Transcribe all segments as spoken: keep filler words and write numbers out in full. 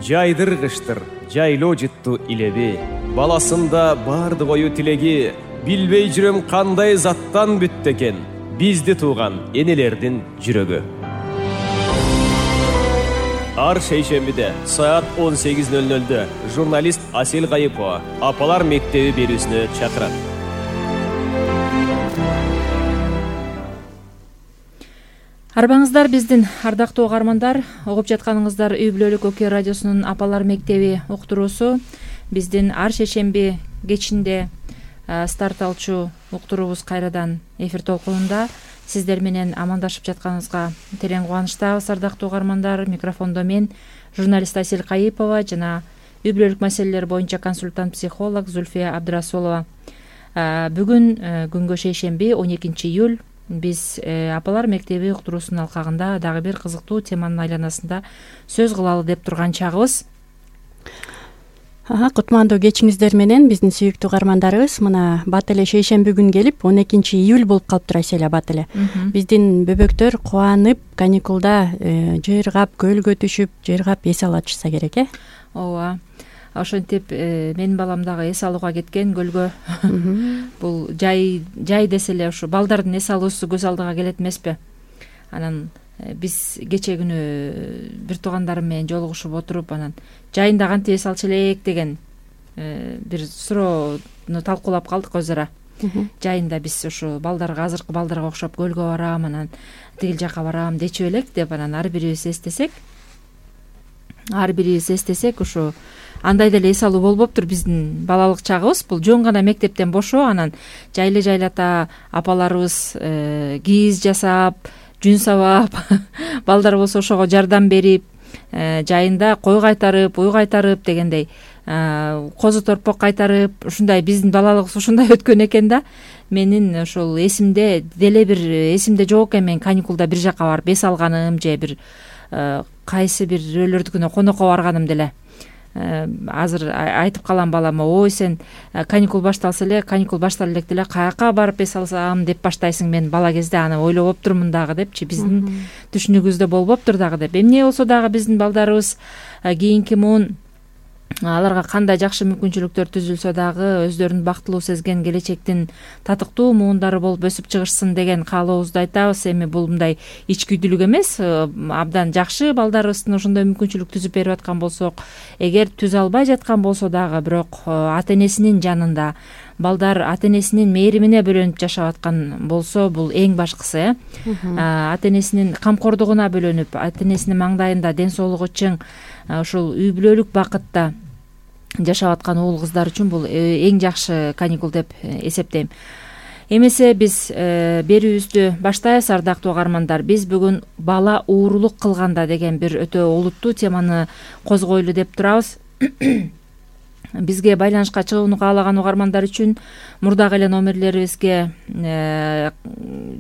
жайдыргыштыр жайлоо жытту илеби. Баласында барды ою тилеги, билбей жүрөм кандай заттан бүттү экен бизди тууган энелердин жүрөгү. Ар шейшембиде саат он сегиз ноль нольдө журналист Асел Кайыпова Апалар мектеби берүүсүнө чакырат. Арбаңыздар биздин ардактуу угармандар, угуп жатканыңыздар Үй бүлөлүк Окей радиосунун Апалар мектеби уктуруусу. Биздин ар шейшемби кечинде старт алчу уктуруубуз кайрадан эфир толкунунда. Сиздер менен амандашып жатканыбызга терең кубанычтабыз, ардактуу угармандар. Микрофондо мен, журналист Асел Кайыпова жана үй бүлөлүк маселелер боюнча консультант психолог Зульфия Абдрасулова. Бүгүн күнгө шейшемби он экинчи июль. Биз Апалар мектеби уктуруусунун алкагында дагы бир кызыктуу теманын айланасында сөз кылалы деп турган чагыбыз. Кутмандуу кечиңиздер менен биздин сүйүктүү угармандарыбыз. Мына бат эле шейшемби күн келип он экинчи июль болуп калыптыр Аселя, бат эле. Биздин бөбөктөр кубанып каникулда жыйыргап, көлгө түшүп, жыйыргап эс алышса керек, э? Ооба. Ошентип менин балам дагы эс алууга кеткен көлгө. Бул жай жай десе эле ушу балдардын эс алуусу көз алдыга келет эмеспи? Анан биз кече күнү бир туугандарым менен жолугушуп отуруп, анан жайында кантип эс алчу элек деген бир суроону талкуулап калдык өз ара. Жайында биз ушу балдарга, азыркы балдарга окшоп көлгө барам, анан тигил жака барам дечү элек деп, анан ар бирибиз эстесек, ар бирибиз эстесек ушу андай деле эс алуу болбоптур биздин балалык чагыбыз. Бул жөн гана мектептен бошоо, анан жайлы жайлата апаларыбыз кийиз жасап, жүн сабап, балдар болсо ошого жардам берип, жайында кой кайтарып, уй кайтарып дегендей, козу торпок кайтарып, ушундай биздин балалыгыбыз ушундай өткөн экен да. Менин ошол эсимде деле бир эсимде жок экен, мен каникулда бир жака барып эс алганым же бир кайсы бир бирөөлөрдүкүнө конокко барганым деле. Азыр айтып калам балама: ой, сен каникул башталса эле, каникул баштала элек деле каяка барып эс алсам деп баштайсың. Мен бала кезде аны ойлоп оптурмун дагы депчи, биздин түшүнүгүбүздө болбоптур дагы деп. Эмне болсо дагы биздин балдарыбыз кийинки муун аларга кандай жакшы мүмкүнчүлүктөр түзүлсө дагы өздөрүн бактылуу сезген келечектин татыктуу муундары болуп өсүп чыгышсын деген каалообузду айтабыз. Эми бул мындай ичкүйдүүлүк эмес, абдан жакшы балдарыбыздын ошондой мүмкүнчүлүк түзүп берип аткан болсок, эгер түзө албай жаткан болсо дагы, бирок ата энесинин жанында, балдар ата энесинин мээримине бөлөнүп жашап аткан болсо, бул эң башкысы, э. Ата энесинин камкордугуна бөлөнүп, ата энесинин маңдайында ден соолугу чың, ошол үй бүлөлүк бакытта жашап аткан уул кыздар үчүн бул эң жакшы каникул деп эсептейм. Эмесе биз берүүбүздү баштайбыз, ардактуу угармандар. Биз бүгүн бала уурулук кылганда деген бир өтө олуттуу теманы козгойлу деп турабыз. Бизге байланышка чыгууну каалаган угармандар үчүн мурдагы эле номерлерибизге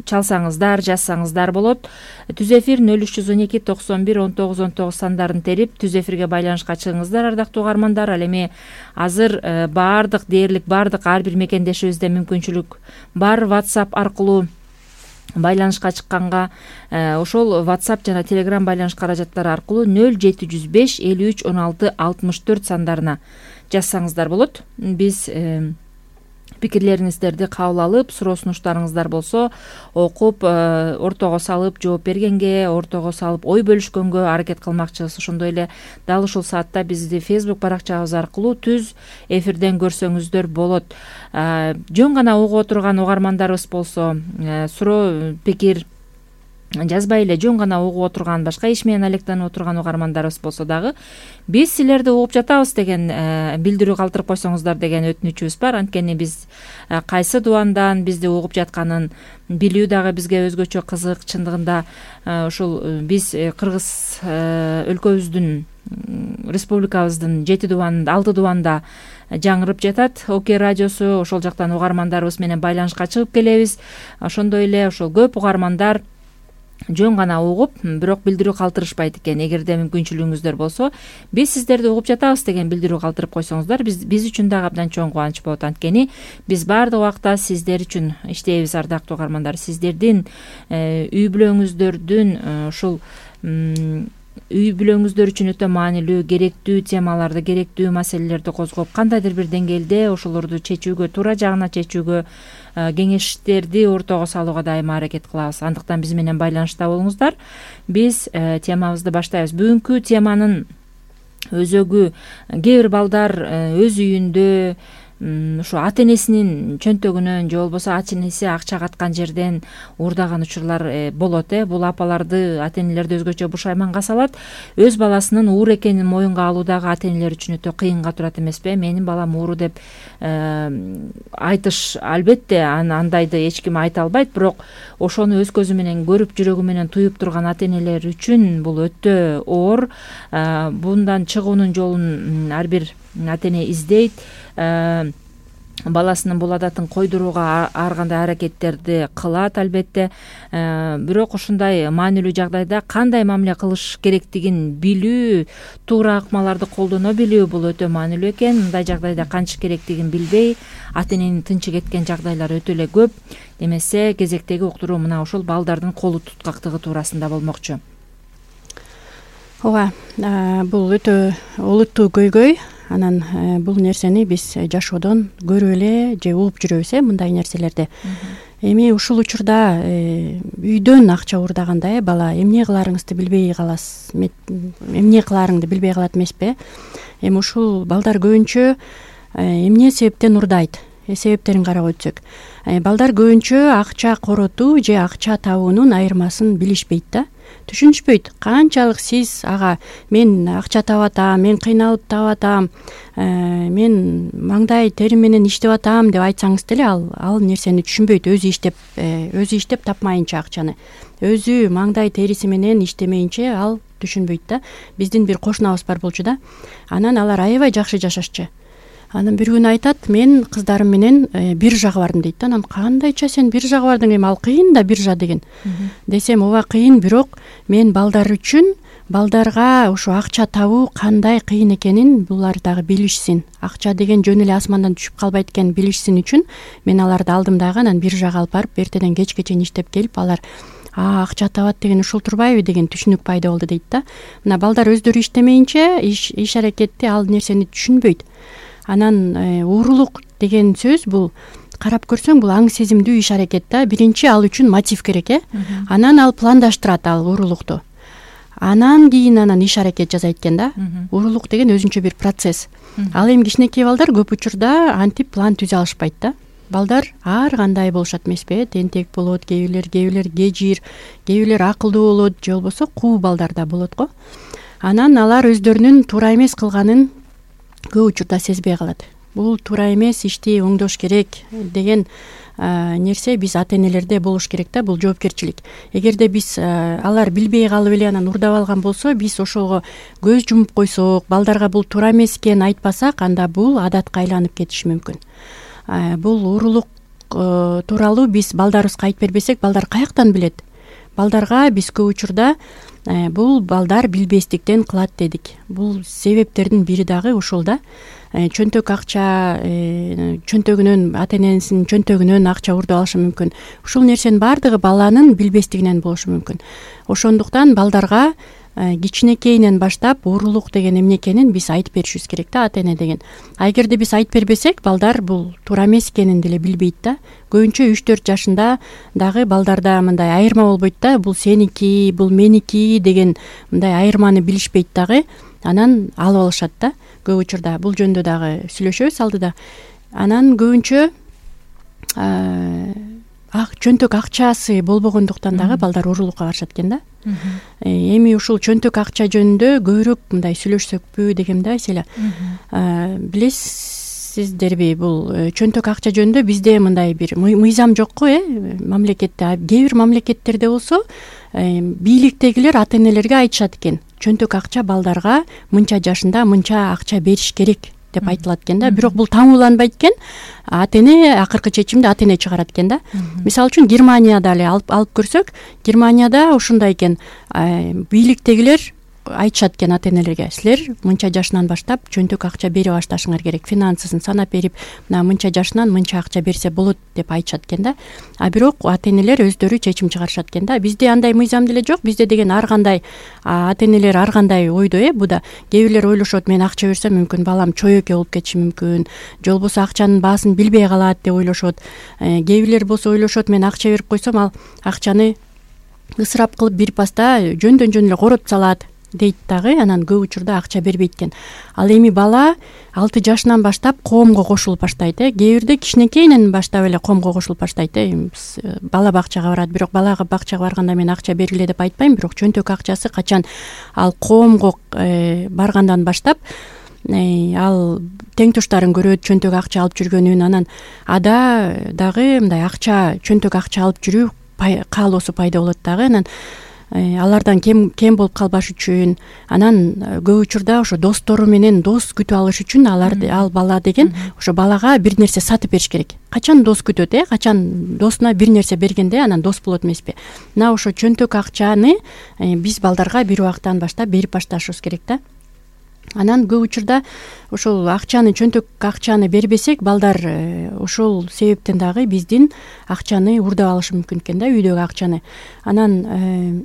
чалсаңыздар, жазсаңыздар болот. Түз эфир нөл үч жүз он эки токсон бир он тогуз он тогуз сандарын терип түз эфирге байланышка чыгыңыздар, ардактуу угармандар. Ал эми азыр баардык дээрлик баардык ар бир мекендешибизде мүмкүнчүлүк бар. WhatsApp аркылуу байланышка чыкканга, ошол WhatsApp жана Telegram байланыш каражаттары аркылуу нөл жети жүз беш элүү үч он алты алтымыш төрт сандарына жазсаңыздар болот. Биз пикирлериңиздерди кабыл алып, суроо сунуштарыңыздар болсо окуп, ортого салып жооп бергенге, ортого салып ой бөлүшкөнгө аракет кылмакчыбыз. Ошондой эле дал ушул саатта бизди Facebook баракчабыз аркылуу түз эфирден көрсөңүздөр болот. Жөн гана угуп отурган угармандарыбыз болсо, суроо пикир жазбай эле жөн гана угуп отурган, башка иш менен алектенип отурган угармандарыбыз болсо дагы биз силерди угуп жатабыз деген билдирүү калтырып койсоңуздар деген өтүнүчүбүз бар. Анткени биз кайсы дубандан бизди угуп жатканын билүү дагы бизге өзгөчө кызык. Чындыгында ушул биз Кыргыз өлкөбүздүн, республикабыздын жети дубанында, алты дубанда жаңырып жатат Окей радиосу. Ошол жактан угармандарыбыз менен байланышка чыгып келебиз. Ошондой эле ошол көп угармандар жөн гана угуп, бирок билдирүү калтырышпайт экен. Эгерде мүмкүнчүлүгүңүздөр болсо, биз сиздерди угуп жатабыз деген билдирүү калтырып койсоңуздар, биз биз үчүн дагы абдан чоң кубаныч болот. Анткени биз баардык убакта сиздер үчүн иштейбиз, ардактуу угармандар. Сиздердин үй бүлөңүздөрдүн ушул үй бүлөңүздөр үчүн өтө маанилүү, керектүү темаларды, керектүү маселелерди козгоп, кандайдыр бир деңгээлде ошолорду чечүүгө, туура жагына чечүүгө, кеңештерди ортого салууга дайыма аракет кылабыз. Андыктан биз менен байланышта болуңуздар. Биз темабызды баштайбыз. Бүгүнкү теманын өзөгү кээ бир балдар өз үйүндө ушу ата энесинин чөнтөгүнөн же болбосо ата энеси акча каткан жерден уурдаган учурлар болот. э Бул апаларды, ата энелерди өзгөчө бушайманга салат. Өз баласынын уур экенин моюнга алуу дагы ата энелер үчүн өтө кыйынга турат эмеспи? Менин балам ууру деп айтыш, албетте андайды эч ким айта албайт, бирок ошону өз көзү менен көрүп, жүрөгү менен туюп турган ата энелер үчүн бул өтө оор. Bundan чыгуунун жолун ар бир ата эне издейт. Баласынын бул адатын койдурууга ар кандай аракеттерди кылат, албетте. Бирок ушундай маанилүү жагдайда кандай мамиле кылыш керектигин билүү, туура акмаларды колдоно билүү бул өтө маанилүү экен. Мындай жагдайда кантиш керектигин билбей, ата эненин тынчы кеткен жагдайлар өтө эле көп. Демесе, кезектеги уктуруу мына ушул балдардын колу туткактыгы туурасында болмокчу. Ооба, бул өтө олуттуу көйгөй. Анан бул нерсени биз жашоодон көрүп эле же угуп жүрөбүз, э мындай нерселерди. Эми ушул учурда үйдөн акча уурдаганда э бала эмне кыларыңызды билбей каласыз, эмне кыларыңды билбей калат эмеспи? Эми ушул балдар көбүнчө эмне себептен уурдайт? Себептерин карап өтсөк, балдар көбүнчө акча коротуу же акча табуунун айырмасын билишпейт да. Түшүнүшпөйт. Канчалык сиз ага мен акча таап атам, мен кыйналып таап атам, мен маңдай терим менен иштеп атам деп айтсаңыз деле ал ал нерсени түшүнбөйт. Өзү иштеп, өзү иштеп тапмайынча акчаны, өзү маңдай териси менен иштемейинче ал түшүнбөйт да. Биздин бир кошунабыз бар болчу да. Анан алар аябай жакшы жашашчу. Анан бир күнү айтат, мен кыздарым менен биржага бардым дейт да. Анан кандайча сен биржага бардың? Эми ал кыйын да биржа деген. Десем, ооба кыйын, бирок мен балдар үчүн, балдарга ушу акча табуу кандай кыйын экенин булар дагы билишсин. Акча деген жөн эле асмандан түшүп калбайт экен билишсин үчүн мен аларды алдым дагы. Анан биржага алып барып, эртеден кечке чейин иштеп келип, алар а акча табат деген ушул турбайбы деген түшүнүк пайда болду дейт да. Мына балдар өздөрү иштемейинче, иш иш аракетти ал нерсени түшүнбөйт. Анан уурулук деген сөз бул карап көрсөң бул аң сезимдүү иш аракет да. Биринчи ал үчүн мотив керек, э. Анан ал пландаштырат ал уурулукту. Анан кийин анан иш аракет жасайт экен да. Уурулук деген өзүнчө бир процесс. Ал эми кичинекей балдар көп учурда антип план түзө алышпайт да. Балдар ар кандай болушат эмеспи? Тентек болот, кээ бирлер, кээ бирлер кежир, кээ бирлер акылдуу болот, же болбосо куу балдар да болот го. Анан алар өздөрүнүн туура эмес кылганын көп учурда сезбей калат. Бул туура эмес, ишти оңдош керек деген нерсе биз ата энелерде болуш керек да. Бул жоопкерчилик. Эгерде биз алар билбей калып эле анан уурдап алган болсо, биз ошого көз жумуп койсок, балдарга бул туура эмес экенин айтпасак, анда бул адатка айланып кетиши мүмкүн. Бул уурулук тууралуу биз балдарыбызга айтып бербесек, балдар каяктан билет? Балдарга биз көп учурда бул балдар билбестиктен кылат дедик. Бул себептердин бири дагы ушул да. Чөнтөк акча, чөнтөгүнөн, ата энесинин чөнтөгүнөн акча уурдап алышы мүмкүн. Ушул нерсенин баардыгы баланын билбестигинен болушу мүмкүн. Ошондуктан балдарга кичинекейинен баштап уурулук деген эмне экенин биз айтып беришибиз керек да, ата эне деген. А эгерде биз айтып бербесек, балдар бул туура эмес экенин деле билбейт да. Көбүнчө үч төрт жашында дагы балдарда мындай айырма болбойт да. Бул сеники, бул меники деген мындай айырманы билишпейт дагы. Анан алып алышат да. Көп учурда бул жөнүндө дагы сүйлөшөбүз алдыда. Анан көбүнчө ак чөнтөк акчасы болбогондуктан дагы балдар уурулукка барышат экен да. Эми ушул чөнтөк акча жөнүндө көбүрөөк мындай сүйлөшсөкпү дегем да, Айселя. Билесиздерби, бул чөнтөк акча жөнүндө бизде мындай бир мыйзам жокко, э, мамлекетте. Кээ бир мамлекеттерде болсо, бийликтегилер ата энелерге айтышат экен. Чөнтөк акча балдарга мынча жашында мынча акча бериш керек деп айтылат экен да. Бирок бул таңууланбайт экен. Ата эне акыркы чечимди ата эне чыгарат экен да. Мисалы үчүн Германияда эле алып алып көрсөк, Германияда ушундай экен. Бийликтегилер айтышат экен ата энелерге, силер мынча жашынан баштап чөнтөк акча бере башташыңар керек, финансысын санап берип, мына мынча жашынан мынча акча берсе болот деп айтышат экен да. А бирок ата энелер өздөрү чечим чыгарышат экен да. Бизде андай мыйзам деле жок. Бизде деген ар кандай ата энелер ар кандай ойдо э буда. Кээ бирлер ойлошот, мен акча берсем мүмкүн балам чоюке болуп кетиши мүмкүн, же болбосо акчанын баасын билбей калат деп ойлошот. Кээ бирлер болсо ойлошот, мен акча берип койсом ал акчаны ысырап кылып бир паста жөндөн жөн эле коротуп салат дейт дагы. Анан көп учурда акча бербейт экен. Ал эми бала алты жашынан баштап коомго кошулуп баштайт э. Кээ бирде кичинекейинен баштап эле коомго кошулуп баштайт э. Бала бакчага барат, бирок балага бакчага барганда мен акча бергиле деп айтпайм, бирок чөнтөк акчасы качан ал коомго баргандан баштап ал тең туштарын көрөт, чөнтөк акча алып жүргөнүн. Анан ада дагы мындай акча, чөнтөк акча алып жүрүү каалоосу пайда болот дагы. Анан алардан кем кем болуп калбаш үчүн, анан көп учурда ошо достору менен дос күтүп алыш үчүн алар ал бала деген ошо балага бир нерсе сатып бериш керек. Качан дос күтөт э, качан досуна бир нерсе бергенде анан дос болот эмеспи. Мына ошо чөнтөк акчаны биз балдарга бир убактан баштап берип башташыбыз керек да. Анан көп учурда ошол акчаны, чөнтөк акчаны бербесек, балдар ошол себептен дагы биздин акчаны урдап алышы мүмкүн экен да, үйдөгү акчаны. Анан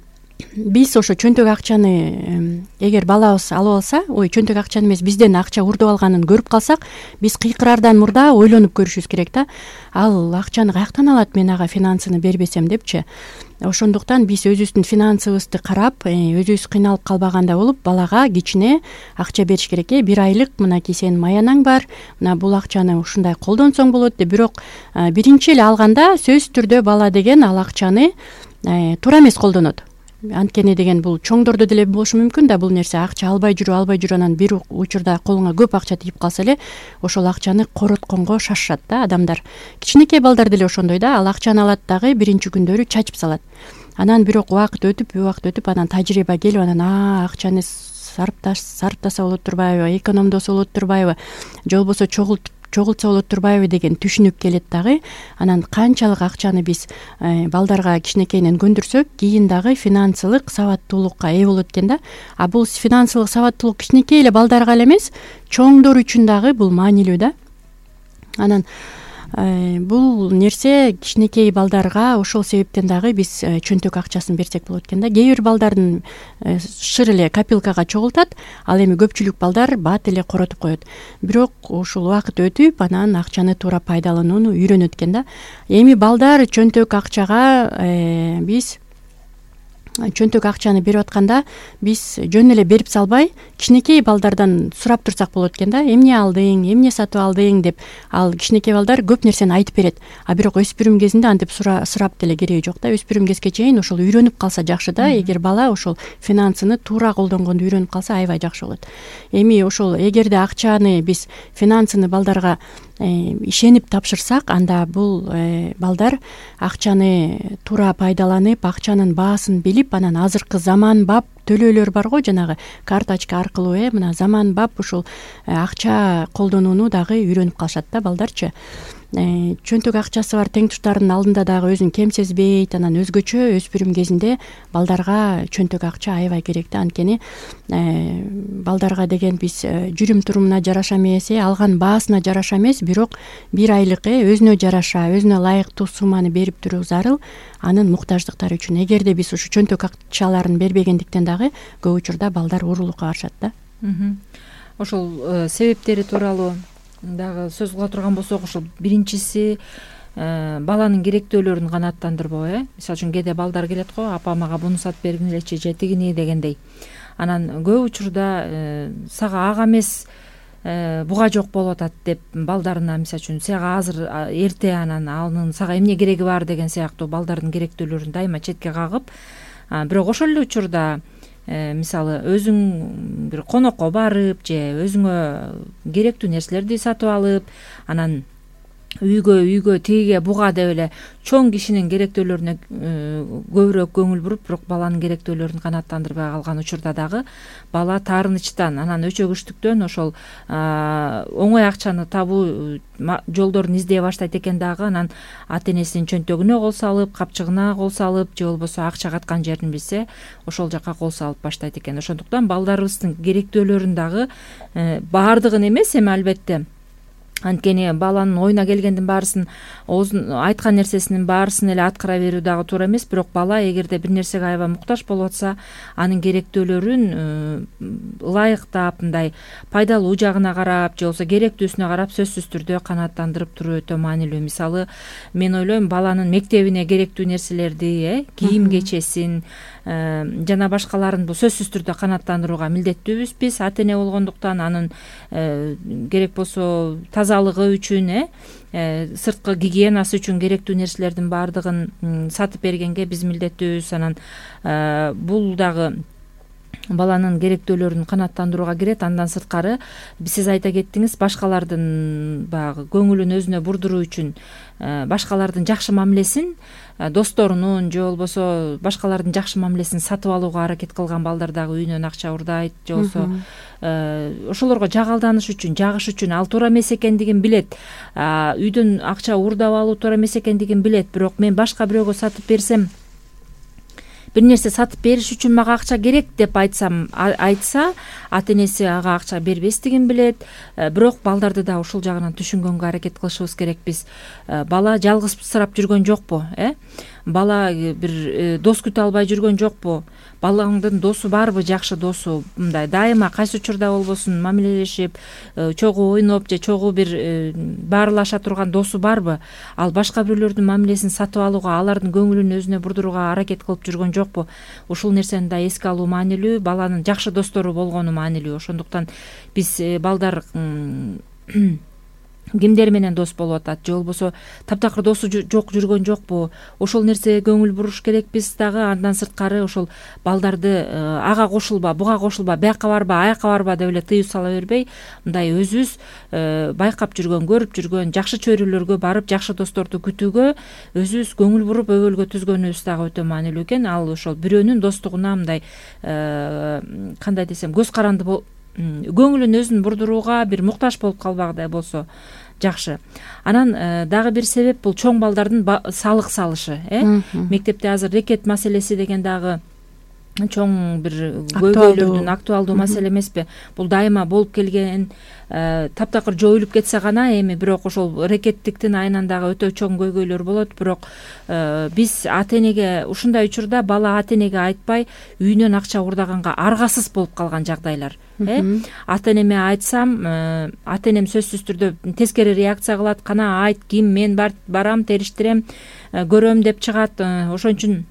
биз ошо чөнтөк акчаны эгер балабыз алып алса, ой чөнтөк акчаны эмес, бизден акча урдап алганын көрүп калсак, биз кыйкыраардан мурда ойлонуп көрүшүбүз керек да. Ал акчаны каяктан алат мен ага финансыны бербесем депчи. Ошондуктан биз өзүбүздүн финансыбызды карап, өзүбүз кыйналып калбагандай болуп, балага кичине акча бериш керек э. Бир айлык мынакей сенин маянаң бар, мына бул акчаны ушундай колдонсоң болот деп. Бирок биринчи эле алганда сөзсүз түрдө бала деген ал акчаны туура эмес колдонот. Анткени деген бул чоңдордо деле болушу мүмкүн да, бул нерсе акча албай жүрүп, албай жүрүп анан бир учурда колуңа көп акча тийип калса эле ошол акчаны коротконго шашышат да адамдар. Кичинекей балдар деле ошондой да, ал акчаны алат дагы биринчи күндөрү чачып салат. Анан бирок убакыт өтүп, убакыт өтүп анан тажрыйба келип, анан а акчаны сарпташ сарптаса болот турбайбы, экономдосо болот турбайбы, же болбосо чогултуп чогултса болот турбайбы деген түшүнүп келет дагы. Анан канчалык акчаны биз балдарга кичинекейинен көндүрсөк, кийин дагы финансылык сабаттуулукка ээ болот экен да. А бул финансылык сабаттуулук кичинекей эле балдарга эле эмес, чоңдор үчүн дагы бул маанилүү да. Анан бул нерсе кичинекей балдарга ошол себептен дагы биз чөнтөк акчасын берсек болот экен да. Кээ бир балдардын шыр эле копилкага чогултат, ал эми көпчүлүк балдар бат эле коротуп коет. Бирок ушул убакыт өтүп, анан акчаны туура пайдаланууну үйрөнөт экен да. Эми балдар чөнтөк акчага биз чөнтөк акчаны берип атканда биз жөн эле берип салбай, кичинекей балдардан сурап турсак болот экен да. Эмне алдың, эмне сатып алдың деп. Ал кичинекей балдар көп нерсени айтып берет. А бирок өспүрүм кезинде антип сурап деле кереги жок да. Өспүрүм кезге чейин ошол үйрөнүп калса жакшы да. Эгер бала ошол финансыны туура колдонгонду үйрөнүп калса аябай жакшы болот. Эми ошол эгерде акчаны биз финансыны балдарга ишенип тапшырсак, анда бул балдар акчаны туура пайдаланып, акчанын баасын билип, анан азыркы заманбап төлөөлөр бар го, жанагы карточка аркылуу э мына заманбап ушул акча колдонууну дагы үйрөнүп калышат да балдарчы. Чөнтөк акчасы бар тең туштарынын алдында дагы өзүн кем сезбейт. Анан өзгөчө өспүрүм кезинде балдарга чөнтөк акча аябай керек да. Анткени балдарга деген биз жүрүм турумуна жараша эмес, алган баасына жараша эмес, бирок бир айлык өзүнө жараша, өзүнө ылайыктуу сумманы берип туруу зарыл анын муктаждыктары үчүн. Эгерде биз ушу чөнтөк акчаларын бербегендиктен дагы көп учурда балдар уурулукка барышат да. Ошол себептери тууралуу дагы сөз кыла турган болсок, ошол биринчиси баланын керектөөлөрүн канааттандырбоо э. Мисалы үчүн кээде балдар келет го, апа мага буну сатып бергилечи же тигини дегендей. Анан көп учурда сага ага эмес буга жок болуп атат деп балдарына, мисалы үчүн сага азыр эрте, анан анын сага эмне кереги бар деген сыяктуу балдардын керектөөлөрүн дайыма четке кагып, бирок ошол эле учурда мисалы өзүң бир конокко барып же өзүңө керектүү нерселерди сатып алып, анан үйгө үйгө тигиге буга деп эле чоң кишинин керектөөлөрүнө көбүрөөк көңүл буруп, бирок баланын керектөөлөрүн канааттандырбай калган учурда дагы бала таарынычтан, анан өчөгүчтүктөн ошол оңой акчаны табуу жолдорун издей баштайт экен дагы. Анан ата энесинин чөнтөгүнө кол салып, капчыгына кол салып, же болбосо акча каткан жерин билсе ошол жака кол салып баштайт экен. Ошондуктан балдарыбыздын керектөөлөрүн дагы баардыгын эмес эми албетте, анткени баланын оюна келгендин баарысын, айткан нерсесинин баарысын эле аткара берүү дагы туура эмес. Бирок бала эгерде бир нерсеге аябай муктаж болуп атса, анын керектөөлөрүн ылайыктап, мындай пайдалуу жагына карап, же болбосо керектүүсүнө карап сөзсүз түрдө канааттандырып туруу өтө маанилүү. Мисалы, мен ойлойм, баланын мектебине керектүү нерселерди, э кийим кечесин жана башкаларын бул сөзсүз түрдө канааттандырууга милдеттүүбүз биз ата эне болгондуктан. Анын керек болсо тазалыгы үчүн, э сырткы гигиенасы үчүн керектүү нерселердин баардыгын сатып бергенге биз милдеттүүбүз. Анан бул дагы баланын керектөөлөрүн канааттандырууга кирет. Андан сырткары сиз айта кеттиңиз, башкалардын баягы көңүлүн өзүнө бурдуруу үчүн башкалардын жакшы мамилесин, досторунун же болбосо башкалардын жакшы мамилесин сатып алууга аракет кылган балдар дагы үйүнөн акча урдайт, же болбосо ошолорго жагалданыш үчүн, жагыш үчүн. Ал туура эмес экендигин билет, үйдөн акча урдап алуу туура эмес экендигин билет. Бирок мен башка бирөөгө сатып берсем, бир нерсе сатып бериш үчүн мага акча керек деп айтсам, айтса, ата энеси ага акча бербестигин билет. Бирок балдарды да ушул жагынан түшүнгөнгө аракет кылышыбыз керек биз. Бала жалгызсырап жүргөн жокпу, э бала бир дос күтө албай жүргөн жокпу? Балаңдын досу барбы, жакшы досу, мындай дайыма кайсы учурда болбосун мамилелешип, чогуу ойноп же чогуу бир баарылаша турган досу барбы? Ал башка бирөөлөрдүн мамилесин сатып алууга, алардын көңүлүн өзүнө бурдурууга аракет кылып жүргөн жокпу? Ушул нерсени да эске алуу маанилүү, баланын жакшы достору болгону маанилүү. Ошондуктан биз балдар кимдер менен дос болуп атат, же болбосо таптакыр досу жок жүргөн жокпу? Ошол нерсеге көңүл буруш керекпиз дагы. Андан сырткары ошол балдарды ага кошулба, буга кошулба, бияка барба, аяка барба деп эле тыюу сала бербей, мындай өзүбүз байкап жүргөн, көрүп жүргөн жакшы чөйрөлөргө барып, жакшы досторду күтүүгө өзүбүз көңүл буруп өбөлгө түзгөнүбүз дагы өтө маанилүү экен. Ал ошол бирөөнүн достугуна мындай кандай десем, көз каранды көңүлүн өзүн бурдурууга бир муктаж болуп калбагандай болсо жакшы. Анан дагы бир себеп бул чоң балдардын салык салышы, э мектепте азыр рекет маселеси деген дагы чоң бир көйгөйлөрдүн актуалдуу маселе эмеспи? Бул дайыма болуп келген, таптакыр жоюлуп кетсе гана эми, бирок ошол рекеттиктин айынан дагы өтө чоң көйгөйлөр болот. Бирок биз ата энеге ушундай учурда бала ата энеге айтпай үйүнөн акча урдаганга аргасыз болуп калган жагдайлар. э ата энеме айтсам, ата энем сөзсүз түрдө тескери реакция кылат. Кана айт, ким, мен барам, териштирем, көрөм деп чыгат. Ошон үчүн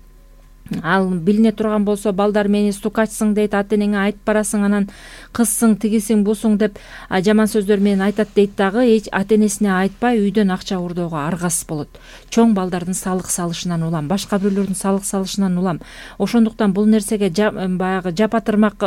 ал билине турган болсо, балдар мени стукачсың дейт, ата энеңе айтып барасың, анан кызсың, тигисиң, бусуң деп жаман сөздөр менен айтат дейт дагы. Ата энесине айтпай үйдөн акча урдоого аргасыз болот. Чоң балдардын салык салышынан улам, башка бирөөлөрдүн салык салышынан улам. Ошондуктан бул нерсеге баягы жапатырмак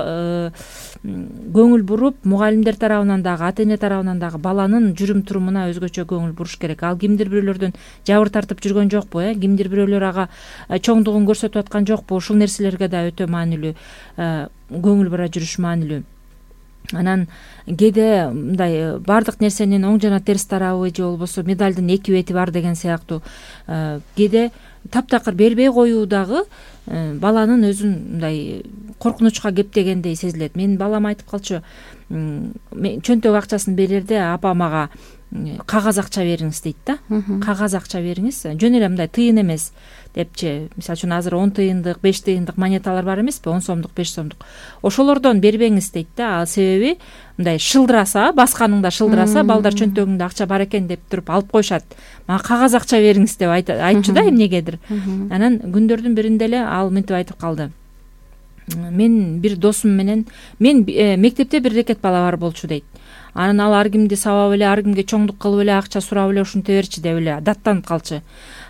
көңүл буруп, мугалимдер тарабынан дагы, ата эне тарабынан дагы баланын жүрүм турумуна өзгөчө көңүл буруш керек. Ал кимдир бирөөлөрдөн жабыр тартып жүргөн жокпу, э кимдир бирөөлөр ага чоңдугун көрсөтүп аткан жокпу? Ушул нерселерге да өтө маанилүү көңүл бура жүрүш маанилүү. Анан кээде мындай баардык нерсенин оң жана терс тарабы, же болбосо медалдын эки бети бар деген сыяктуу кээде таптакыр бербей коюу дагы баланын өзүн мындай коркунучка кептегендей сезилет. Менин балам айтып калчу, чөнтөк акчасын берерде апа мага кагаз акча бериңиз дейт да. Кагаз акча бериңиз, жөн эле мындай тыйын эмес депчи. Мисалы үчүн азыр он тыйындык, беш тыйындык монеталар бар эмеспи? он сомдук, беш сомдук. Ошолордон бербеңиз дейт да. Ал себеби мындай шылдыраса, басканыңда шылдыраса, балдар чөнтөгүңдө акча бар экен деп туруп алып коюшат. Мага кагаз акча бериңиз деп айтчу да эмнегедир. Анан күндөрдүн биринде эле ал мынтип айтып калды. мен бир досум менен мен мектепте бир рекет бала бар болчу дейт. Анан ал ар кимди сабап эле, ар кимге чоңдук кылып эле, акча сурап эле ушинте берчи деп эле даттанып калчу.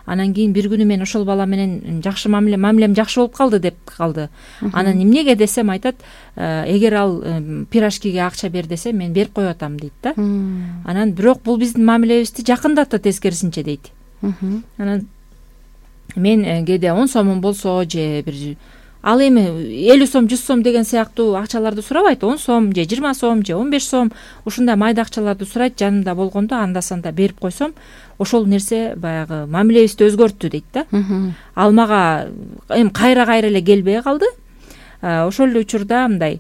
Анан кийин бир күнү мен ошол бала менен жакшы мамиле мамилем жакшы болуп калды деп калды. Анан эмнеге десем айтат, эгер ал пирожкиге акча бер десе мен берип коюп атам дейт да. Анан бирок бул биздин мамилебизди жакындатты тескерисинче дейт. Анан мен кээде он сомум болсо же бир ал эми элүү сом жүз сом деген сыяктуу акчаларды сурабайт, он сом же жыйырма сом же он беш сом ушундай майда акчаларды сурайт. Жанымда болгондо анда санда берип койсом ошол нерсе баягы мамилебизди өзгөрттү дейт да. Ал мага эми кайра кайра эле келбей калды. Ошол эле учурда мындай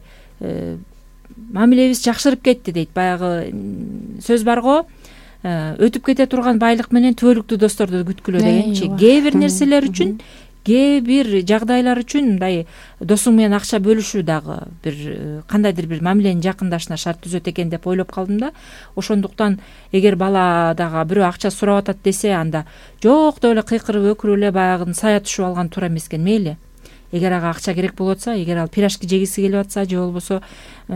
мамилебиз жакшырып кетти дейт. Баягы сөз бар го, өтүп кете турган байлык менен түбөлүктүү досторду күткүлө дегенчи. Кээ бир нерселер үчүн, кээ бир жагдайлар үчүн мындай досуң менен акча бөлүшүү дагы бир кандайдыр бир мамиленин жакындашына шарт түзөт экен деп ойлоп калдым да. Ошондуктан эгер бала дагы бирөө акча сурап атат десе, анда жок деп эле кыйкырып өкүрүп эле баягы сая түшүп алган туура эмес экен. Мейли, эгер ага акча керек болуп атса, эгер ал пирожки жегиси келип атса же болбосо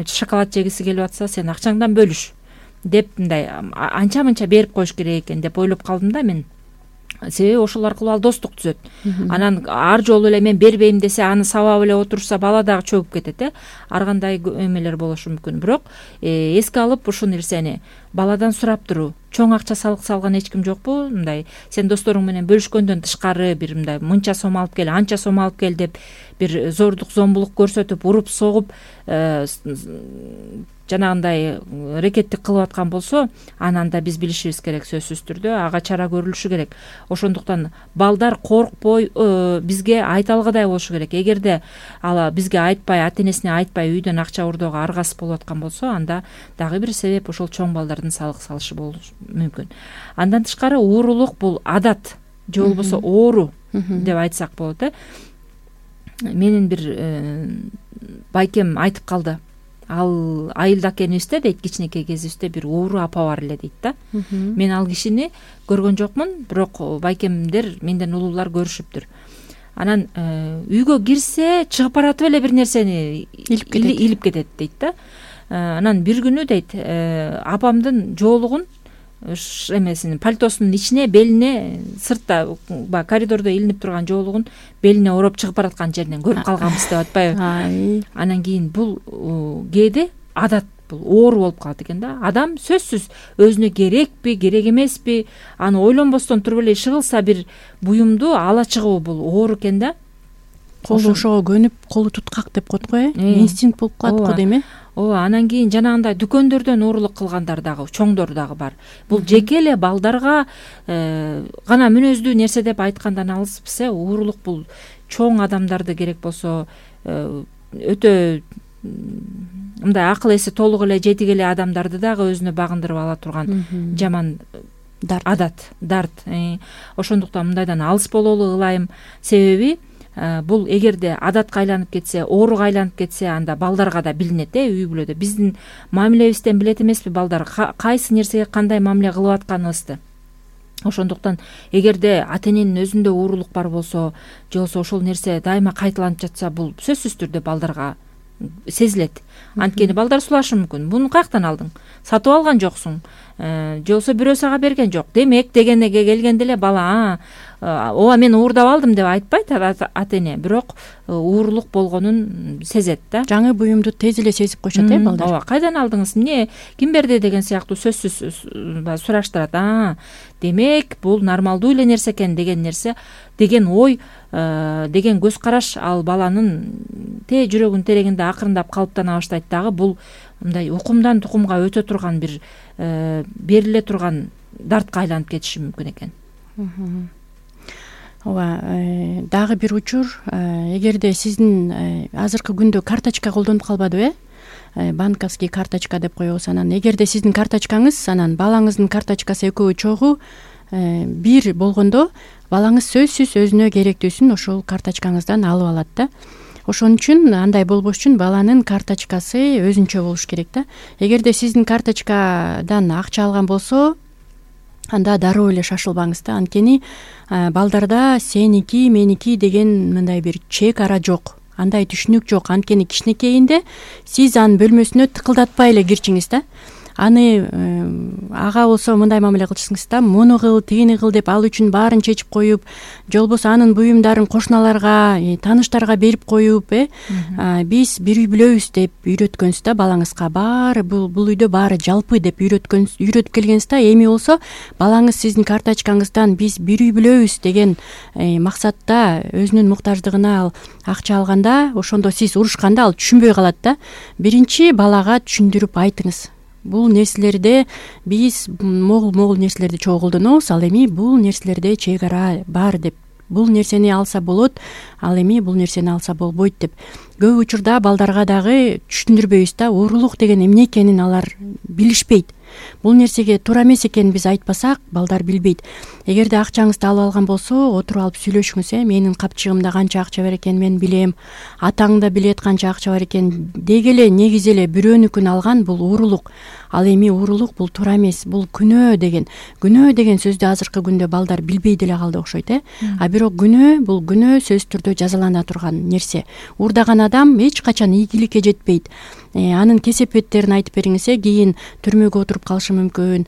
шоколад жегиси келип атса, сен акчаңдан бөлүш деп мындай анча мынча берип коюш керек экен деп ойлоп калдым да мен. Себеби ошол аркылуу ал достук түзөт. Анан ар жолу эле мен бербейм десе, аны сабап эле отурса, бала дагы чөгүп кетет э. Ар кандай эмелер болушу мүмкүн. Бирок эске алып ушул нерсени баладан сурап туруу. Чоң акча салык салган эч ким жокпу? Мындай сен досторуң менен бөлүшкөндөн тышкары бир мындай мынча сом алып кел, анча сом алып кел деп бир зордук зомбулук көрсөтүп, уруп согуп жанагындай рекеттик кылып аткан болсо, анан да биз билишибиз керек, сөзсүз түрдө ага чара көрүлүшү керек. Ошондуктан балдар коркпой бизге айта алгыдай болушу керек. Эгерде ал бизге айтпай, ата энесине айтпай үйдөн акча урдоого аргасыз болуп аткан болсо, анда дагы бир себеп ошол чоң балдардын салык салышы болушу мүмкүн. Андан тышкары уурулук бул адат же болбосо оору деп айтсак болот э. Менин бир байкем айтып калды. Ал айылда экенибизде дейт, кичинекей кезибизде бир ууру апа бар эле дейт да. Мен ал кишини көргөн жокмун, бирок байкемдер менден улуулар көрүшүптүр. Анан үйгө кирсе чыгып баратып эле бир нерсени илип кетет дейт да. Анан бир күнү дейт, апамдын жоолугун эмесин пальтосунун ичине, белине, сыртта баягы коридордо илинип турган жоолугун белине ороп чыгып бараткан жеринен көрүп калганбыз деп атпайбы. Анан кийин бул кээде адат, бул оору болуп калат экен да. Адам сөзсүз өзүнө керекпи, керек эмеспи, аны ойлонбостон туруп эле иши кылса, бир буюмду ала чыгуу бул оору экен да. Колу ошого көнүп, колу туткак деп коет го э. Инстинкт болуп калат го дейм э. Ооба, анан кийин жанагындай дүкөндөрдөн уурулук кылгандар дагы, чоңдор дагы бар. Бул жеке эле балдарга гана мүнөздүү нерсе деп айткандан алыспыз э. Уурулук бул чоң адамдарды, керек болсо өтө мындай акыл эси толук эле, жетик эле адамдарды дагы өзүнө багындырып ала турган жаман адат, дарт. Ошондуктан мындайдан алыс бололу ылайым. Себеби бул эгерде адатка айланып кетсе, ооруга айланып кетсе, анда балдарга да билинет э, үй бүлөдө. Биздин мамилебизден билет эмеспи балдар кайсы нерсеге кандай мамиле кылып атканыбызды. Ошондуктан эгерде ата эненин өзүндө уурулук бар болсо, же болбосо ошол нерсе дайыма кайталанып жатса, бул сөзсүз түрдө балдарга сезилет. Анткени балдар сулашы мүмкүн. Буну каяктан алдың? Сатып алган жоксуң. Же болбосо бирөө сага берген жок. Демек дегенеге келгенде эле бала ооба мен уурдап алдым деп айтпайт ата эне, бирок уурулук болгонун сезет да. Жаңы буюмду тез эле сезип коюшат э балдар. Ооба, кайдан алдыңыз? Эмне, ким берди деген сыяктуу сөзсүз сураштырат. А, демек бул нормалдуу эле нерсе экен деген нерсе, деген ой, деген көз караш ал баланын те жүрөгүнүн терегинде акырындап калыптана баштайт дагы. Бул мындай укумдан тукумга өтө турган бир бериле турган дартка айланып кетиши мүмкүн экен. Ооба, дагы бир учур, эгерде сиздин азыркы күндө карточка колдонуп калбадыбы э? Банковский карточка деп коебуз. Анан эгерде сиздин карточкаңыз, анан балаңыздын карточкасы экөө чогуу бир болгондо, балаңыз сөзсүз өзүнө керектүүсүн ошол карточкаңыздан алып алат да. Ошон үчүн андай болбош үчүн баланын карточкасы өзүнчө болуш керек да. Эгерде сиздин карточкадан акча алган болсо, анда дароо эле шашылбаңыз да. Анткени балдарда сеники, меники деген мындай бир чек ара жок. андай түшүнүк жок. Анткени кичинекейинде сиз анын бөлмөсүнө тыкылдатпай эле кирчиңиз да. Аны ага болсо мындай мамиле кылчысыңыз да, муну кыл, тигини кыл деп ал үчүн баарын чечип коюп, же болбосо анын буюмдарын кошуналарга, тааныштарга берип коюп, э биз бир үй бүлөбүз деп үйрөткөнсүз да балаңызга. Баары бул бул үйдө баары жалпы деп үйрөткөн үйрөтүп келгенсиз да. Эми болсо балаңыз сиздин карточкаңыздан биз бир үй бүлөбүз деген максатта өзүнүн муктаждыгына ал акча алганда, ошондо сиз урушканда ал түшүнбөй калат да. Биринчи балага түшүндүрүп айтыңыз. Бул нерселерде биз могул могул нерселерди чогуу колдонобуз, ал эми бул нерселерде чек ара бар деп. Бул нерсени алса болот, ал эми бул нерсени алса болбойт деп. Көп учурда балдарга дагы түшүндүрбөйбүз да, уурулук деген эмне экенин алар билишпейт. Бул нерсеге туура эмес экенин биз айтпасак, балдар билбейт. Эгерде акчаңызды алып алган болсо, отуруп алып сүйлөшүңүз, э менин капчыгымда канча акча бар экенин мен билем, атаң да билет канча акча бар экенин. Деги эле негизи эле бирөөнүкүн алган бул уурулук. Ал эми уурулук бул туура эмес, бул күнөө деген. Күнөө деген сөздү азыркы күндө балдар билбей деле калды окшойт, э а бирок күнөө бул күнөө сөзсүз түрдө жазалана турган нерсе. Уурдаган адам эч качан ийгиликке жетпейт. Анын кесепеттерин айтып бериңиз, э кийин түрмөгө отуруп калышы мүмкүн.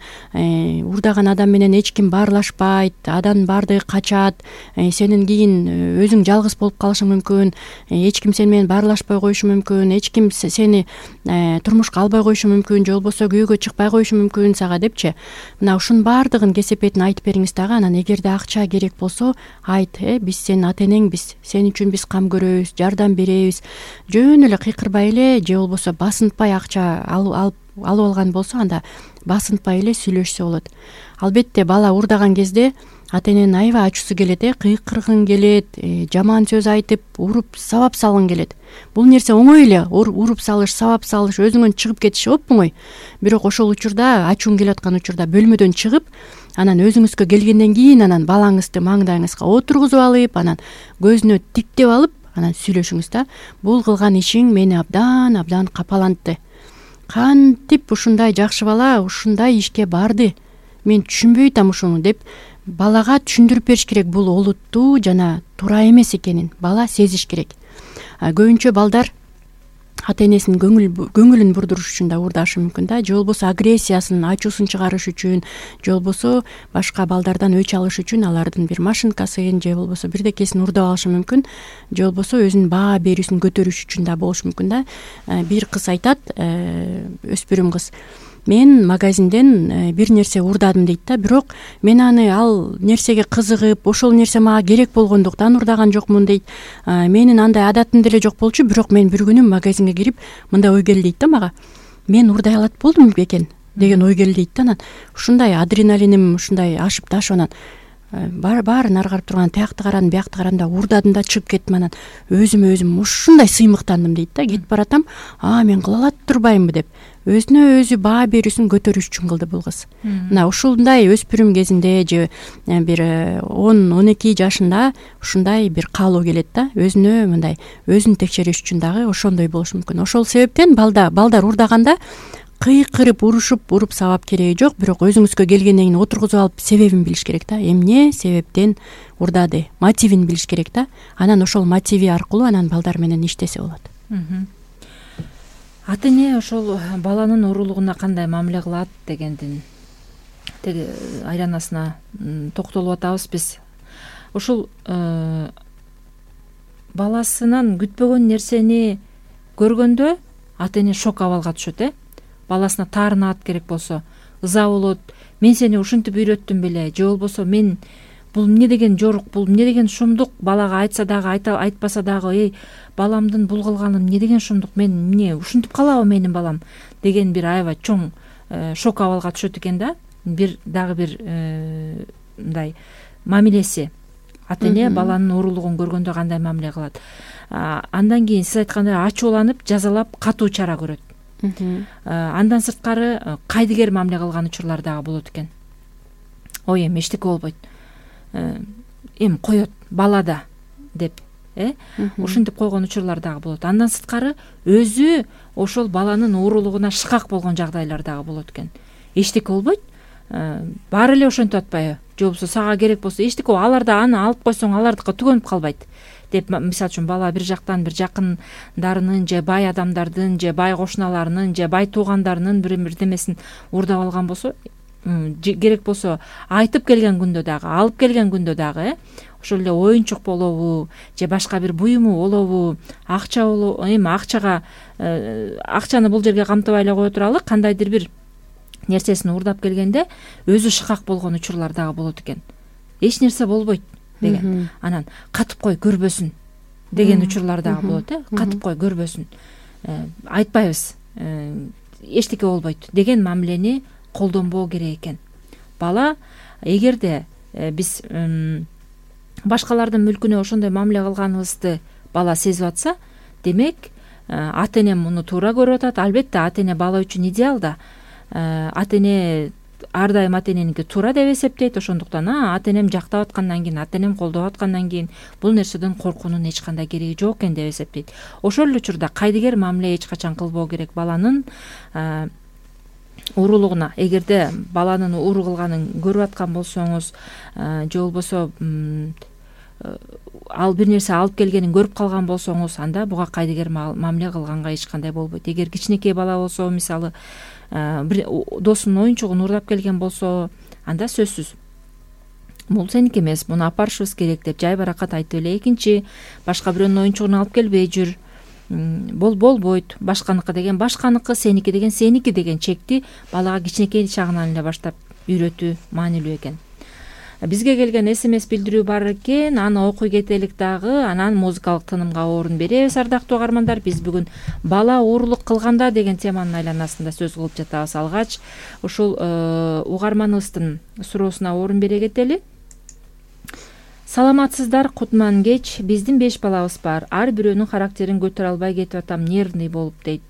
Уурдаган адам менен эч ким баарлашпайт, адан баардыгы качат. Сенин кийин өзүң жалгыз болуп калышың мүмкүн. Эч ким сени менен баарлашпай коюшу мүмкүн. Эч ким сени турмушка албай коюшу мүмкүн, же болбосо күйөөгө чыкпай коюшу мүмкүн сага депчи. Мына ушунун баардыгын кесепетин айтып бериңиз дагы. Анан эгерде акча керек болсо, айт, э биз сенин ата энеңбиз, сен үчүн биз кам көрөбүз, жардам беребиз. Жөн эле кыйкырбай эле, же болбосо басынтпай акча алып алып алып алган болсо, анда басынтпай эле сүйлөшсө болот. Албетте бала уурдаган кезде ата эненин аябай ачуусу келет, э кыйкыргың келет, жаман сөз айтып, уруп сабап салгың келет. Бул нерсе оңой эле, уруп салыш, сабап салыш, өзүңөн чыгып кетиш оп-оңой. Бирок ошол учурда, ачууң келип аткан учурда бөлмөдөн чыгып, анан өзүңүзгө келгенден кийин анан балаңызды маңдайыңызга отургузуп алып, анан көзүнө тиктеп алып, анан сүйлөшүңүз да. Бул кылган ишиң мени абдан абдан капалантты. Кантип ушундай жакшы бала ушундай ишке барды? Мен түшүнбөй атам ушуну деп балага түшүндүрүп бериш керек. Бул олуттуу жана туура эмес экенин бала сезиш керек. Көбүнчө балдар ата энесинин көңүл көңүлүн бурдуруш үчүн да уурдашы мүмкүн да, же болбосо агрессиясын, ачуусун чыгарыш үчүн, же болбосо башка балдардан өч алыш үчүн алардын бир машинкасын, же болбосо бирдекесин уурдап алышы мүмкүн, же болбосо өзүнүн баа берүүсүн көтөрүш үчүн да болушу мүмкүн да. Бир кыз айтат, өспүрүм кыз: мен магазинден бир нерсе уурдадым дейт да, бирок мен аны ал нерсеге кызыгып, ошол нерсе мага керек болгондуктан уурдаган жокмун дейт. Менин андай адатым деле жок болчу, бирок мен бир күнү магазинге кирип мындай ой келди дейт да мага: мен уурдай алат болдум бекен деген ой келди дейт да. Анан ушундай адреналиним ушундай ашып ташып, анан баарын ары карап турган, тиякты карадым, биякты карадым да уурдадым да чыгып кеттим. Анан өзүмө өзүм ушундай сыймыктандым дейт да. Кетип баратам, а мен кыла алат турбаймынбы деп өзүнө өзү баа берүүсүн көтөрүш үчүн кылды бул кыз. Мына ушундай өспүрүм кезинде же бир он он эки жашында ушундай бир каалоо келет да. Өзүнө мындай өзүн текшериш үчүн дагы ошондой болушу мүмкүн. Ошол себептен балда балдар уурдаганда кыйкырып, урушуп, уруп сабап кереги жок, бирок өзүңүзгө келгенден кийин отургузуп алып себебин билиш керек да. Эмне себептен уурдады, мотивин билиш керек да. Анан ошол мотиви аркылуу анан балдар менен иштесе болот. Ата эне ошол баланын уурулугуна кандай мамиле кылат дегендин теги айланасына токтолуп атабыз биз. Ушул баласынан күтпөгөн нерсени көргөндө ата эне шок абалга түшөт, э баласына таарынат керек болсо, ыза болот: мен сени ушинтип үйрөттүм беле, же болбосо мен бул эмне деген жорук, бул эмне деген шумдук, балага айтса дагы айта айтпаса дагы, эй баламдын бул кылганы эмне деген шумдук, мен эмне ушинтип калабы менин балам деген бир аябай чоң шок абалга түшөт экен да. Бир дагы бир мындай мамилеси ата эне баланын уурулугун көргөндө кандай мамиле кылат. Андан кийин сиз айткандай ачууланып, жазалап, катуу чара көрөт. Андан сырткары кайдыгер мамиле кылган учурлар дагы болот экен. Ой, эми эчтеке болбойт, эми коет бала да деп, э ушинтип койгон учурлар дагы болот. Андан сырткары өзү ошол баланын уурулугуна шыкак болгон жагдайлар дагы болот экен. Эчтеке болбойт, баары эле ошентип атпайбы, же болбосо сага керек болсо эчтеке, алар да аны алып койсоң алардыкы түгөнүп калбайт. деп, мисалы үчүн бала бир жактан бир жакындарынын же бай адамдардын же бай кошуналарынын же бай туугандарынын бир бирдемесин уурдап алган болсо, керек болсо айтып келген күндө дагы, алып келген күндө дагы э ошол эле оюнчук болобу же башка бир буюму болобу, акча болобу, эми акчага акчаны бул жерге камтыбай эле кое туралы, кандайдыр бир нерсесин уурдап келгенде өзү шыкак болгон учурлар дагы болот экен. Эч нерсе болбойт деген, анан катып кой көрбөсүн деген учурлар дагы болот э катып кой көрбөсүн, айтпайбыз, эчтеке болбойт деген мамилени колдонбоо керек экен. Бала эгерде биз башкалардын мүлкүнө ошондой мамиле кылганыбызды бала сезип атса, демек ата эне муну туура көрүп атат. Албетте ата эне бала үчүн идеал да. Ата эне ар дайым ата эненики туура деп эсептейт. Ошондуктан ата энем жактап аткандан кийин, ата энем колдоп аткандан кийин бул нерседен коркуунун эч кандай кереги жок экен деп эсептейт. Ошол эле учурда кайдыгер мамиле эч качан кылбоо керек баланын уурулугуна. Эгерде баланын ууру кылганын көрүп аткан болсоңуз же болбосо ал бир нерсе алып келгенин көрүп калган болсоңуз, анда буга кайдыгер мамиле кылганга эч кандай болбойт. Эгер кичинекей бала болсо, мисалы бир досунун оюнчугун уурдап келген болсо, анда сөзсүз бул сеники эмес, муну алып барышыбыз керек деп жай баракат айтып эле экинчи башка бирөөнүн оюнчугун алып келбей жүр, бол болбойт, башканыкы деген башканыкы, сеники деген сеники деген чекти балага кичинекей чагынан эле баштап үйрөтүү маанилүү экен. Бизге келген смс билдирүү бар экен, аны окуй кетелик дагы, анан музыкалык тынымга орун беребиз. Ардактуу угармандар, биз бүгүн бала уурулук кылганда деген теманын айланасында сөз кылып жатабыз. Алгач ушул угарманыбыздын суроосуна орун бере кетели. Саламатсыздар, кутман кеч. Биздин беш балабыз бар. Ар бирөөнүн характерин көтөрө албай кетип атам, нервный болуп дейт.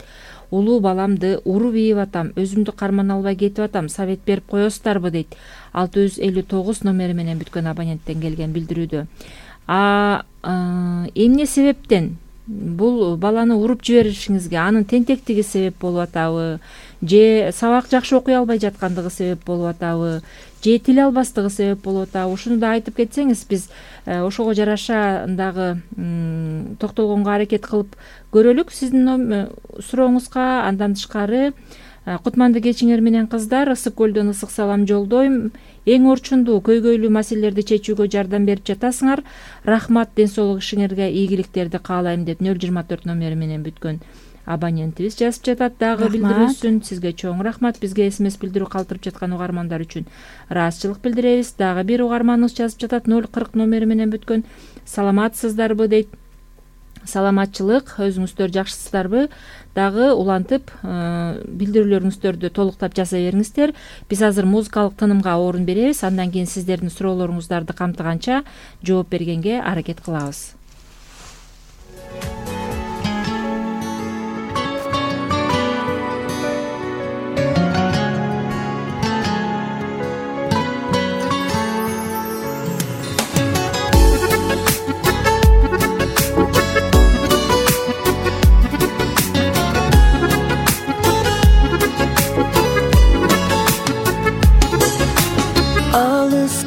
Улуу баламды уруп ийип атам, өзүмдү кармана албай кетип атам, совет берип коесуздарбы дейт. алты жүз элүү тогуз номери менен бүткөн абоненттен келген билдирүүдө. А эмне себептен бул баланы уруп жиберишиңизге анын тентектиги себеп болуп атабы, же сабак жакшы окуй албай жаткандыгы себеп болуп атабы, же тил албастыгы себеп болуп атабы? Ушуну да айтып кетсеңиз, биз ошого жараша дагы токтолгонго аракет кылып көрөлүк сиздин сурооңузга. Андан тышкары, кутманды кечиңер менен кыздар, Ысык көлдөн ысык салам жолдойм. Эң орчундуу көйгөйлүү маселелерди чечүүгө жардам берип жатасыңар. Рахмат, ден соолук ишиңерге ийгиликтерди каалайм деп нөл жыйырма төрт номери менен бүткөн абонентибиз жазып жатат. Дагы билдирүүсүн сизге чоң рахмат. Бизге смс билдирүү калтырып жаткан угармандар үчүн ыраазычылык билдиребиз. Дагы бир угарманыбыз жазып жатат, нөл кырк номери менен бүткөн. Саламатсыздарбы дейт. Саламатчылык, өзүңүздөр жакшысыздарбы? Дагы улантып билдирүүлөрүңүздөрдү толуктап жаза бериңиздер. Биз азыр музыкалык тынымга орун беребиз. Андан кийин сиздердин суроолоруңуздарды камтыганча жооп бергенге аракет кылабыз.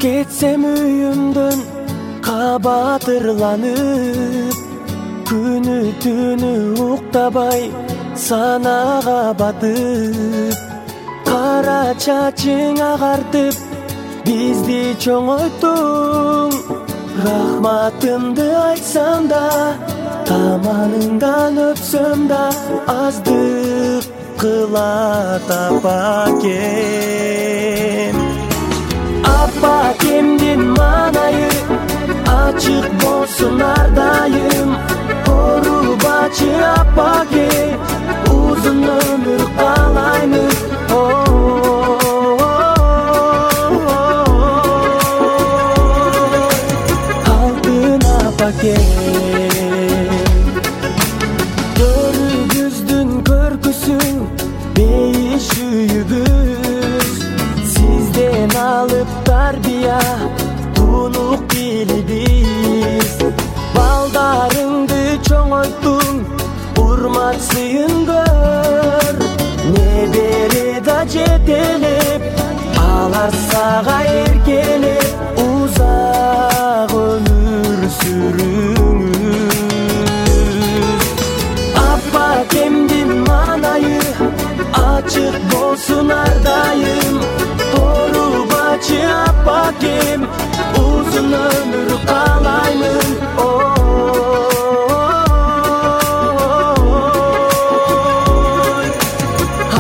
Кетсем үйүмдөн кабатырланып, күнү түнү уктабай санага батып, кара чачың агартып бизди чоңойттуң. Рахматымды айтсам да, таманыңдан өпсөм да, аздык кылат апакем. Апакемдин маанайы ачык болсун ар дайым. Корубачы апаке, узун өмүр каалаймыз. Алтын апаке, көрүбүздүн көркүсүң бейиш үйүбүз. Сизден алып тарбия тунук билибиз. Балдарыңды чоңойттуң, урмат сыйын көр. Небере да жетелеп, алар сага эркелеп, узак өмүр сүрүңүз. болсун ар дайым, оорубачы апакем, узун өмүр каалаймын. Ой,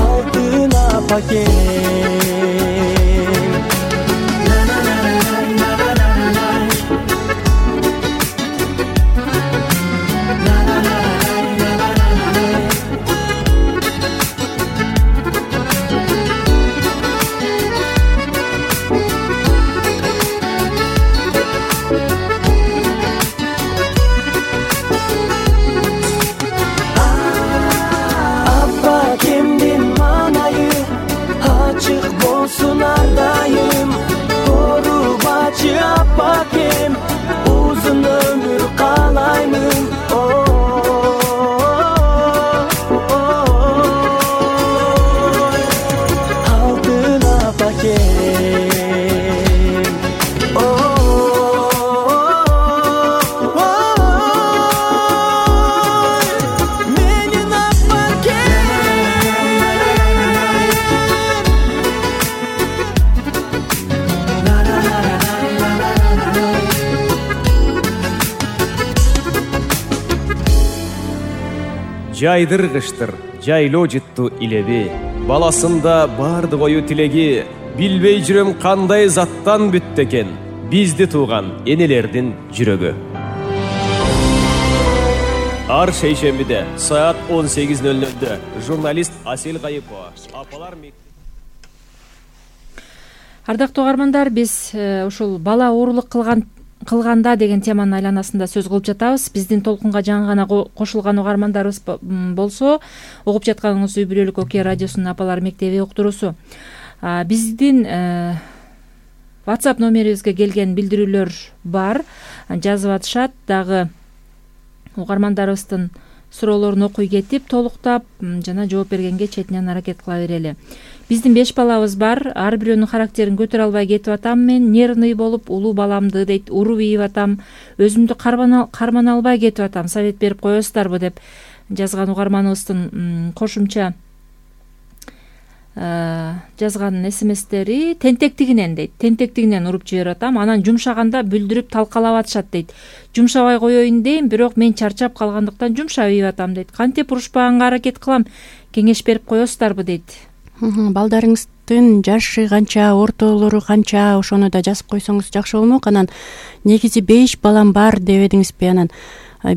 алтын апакем. Апакем, узун өмүр каалаймын. Ой, алтын апакем. Ой, менин апакем. Жайдыр кыштыр, жайлоо жытту илеби, баласында барды ою тилеги, билбей жүрөм кандай заттан бүттү экен бизди тууган энелердин жүрөгү. Ар шейшембиде саат он сегиз ноль нолдо журналист Асель Кайыпова, апалар мектеби. Ардактуу угармандар, биз ушул бала оорулук кылган кылганда деген теманын айланасында сөз кылып жатабыз. Биздин толкунга жаңы гана кошулган угармандарыбыз болсо, угуп жатканыңыз үй бүлөлүк Окуя радиосунун апалар мектеби уктуруусу. Биздин WhatsApp номерибизге келген билдирүүлөр бар, жазып атышат. Дагы угармандарыбыздын суроолорун окуй кетип, толуктап жана жооп бергенге четинен аракет кыла берели. Биздин беш балабыз бар. Ар бирөөнүн характерин көтөрө албай кетип атам. Мен нервный болуп улуу баламды дейт, уруп ийип атам. Өзүмдү кармана албай кетип атам. Совет берип коесуздарбы деп жазган угарманыбыздын кошумча жазган смстери тентектигинен дейт. Тентектигинен уруп жиберип атам. Анан жумшаганда бүлдүрүп талкалап атышат дейт. Жумшабай коеюн дейм, бирок мен чарчап калгандыктан жумшап ийип атам дейт. Кантип урушпаганга аракет кылам, кеңеш берип коесуздарбы дейт. Балдарыңыздын жашы канча, ортолору канча, ошону да жазып койсоңуз жакшы болмок. Анан негизи беш балам бар дебедиңизби? Анан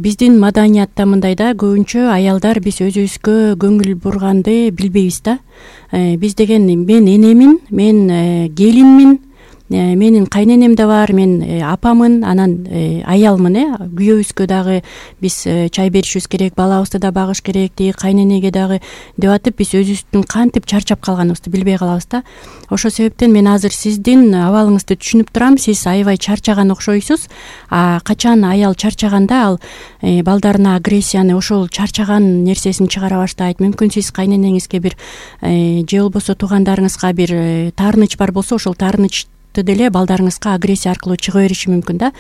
биздин маданиятта мындай да, көбүнчө аялдар биз өзүбүзгө көңүл бурганды билбейбиз да. Биз деген мен энемин, мен келинмин, менин кайненем да бар, мен апамын, анан аялмын, э күйөөбүзгө дагы биз чай беришибиз керек, балабызды да багыш керек, тиги кайненеге дагы деп атып, биз өзүбүздүн кантип чарчап калганыбызды билбей калабыз да. Ошол себептен мен азыр сиздин абалыңызды түшүнүп турам. Сиз аябай чарчаган окшойсуз. А качан аял чарчаганда ал балдарына агрессияны, ошол чарчаган нерсесин чыгара баштайт. Мүмкүн сиз кайненеңизге бир же болбосо туугандарыңызга бир таарыныч бар болсо, ошол таарыныч деле балдарыңызга агрессия аркылуу чыга бериши мүмкүн да.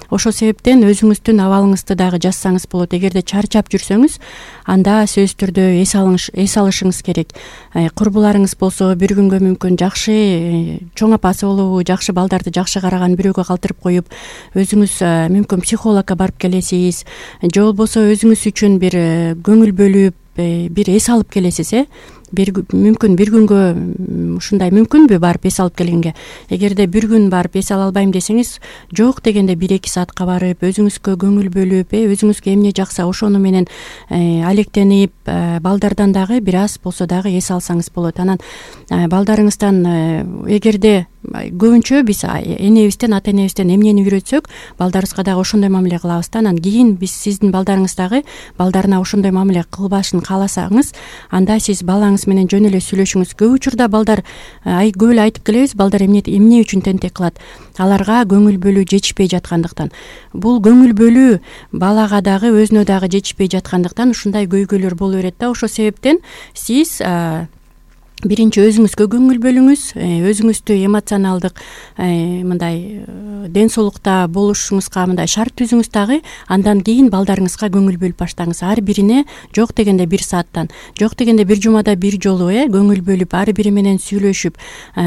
Ошол себептен өзүңүздүн абалыңызды дагы жазсаңыз болот. Эгерде чарчап жүрсөңүз, анда сөзсүз түрдө эс эс алышыңыз керек. Курбуларыңыз болсо бир күнгө мүмкүн жакшы чоң апасы болобу, жакшы балдарды жакшы караган бирөөгө калтырып коюп, өзүңүз мүмкүн психологко барып келесиз, же болбосо өзүңүз үчүн бир көңүл бөлүп, бир эс алып келесиз, э бир мүмкүн бир күнгө ушундай мүмкүнбү барып эс алып келгенге? Эгерде бир күн барып эс ала албайм десеңиз, жок дегенде бир эки саатка барып, өзүңүзгө көңүл бөлүп, э өзүңүзгө эмне жакса ошону менен алектенип, балдардан дагы бир аз болсо дагы эс алсаңыз болот. Анан балдарыңыздан эгерде көбүнчө биз энебизден, ата энебизден эмнени үйрөтсөк, балдарыбызга дагы ошондой мамиле кылабыз да. Анан кийин биз сиздин балдарыңыз дагы балдарына ошондой мамиле кылбашын кааласаңыз, анда сиз балаңыз менен жөн эле сүйлөшүңүз. Көп учурда балдар ай көп эле айтып келебиз, балдар эмне эмне үчүн тентек кылат? Аларга көңүл бөлүү жетишпей жаткандыктан. Бул көңүл бөлүү балага дагы өзүнө дагы жетишпей жаткандыктан ушундай көйгөйлөр боло берет да. Ошол себептен сиз биринчи өзүңүзгө көңүл бөлүңүз, өзүңүздү эмоционалдык мындай ден соолукта болушуңузга мындай шарт түзүңүз дагы, андан кийин балдарыңызга көңүл бөлүп баштаңыз. Ар бирине жок дегенде бир сааттан, жок дегенде бир жумада бир жолу э көңүл бөлүп, ар бири менен сүйлөшүп,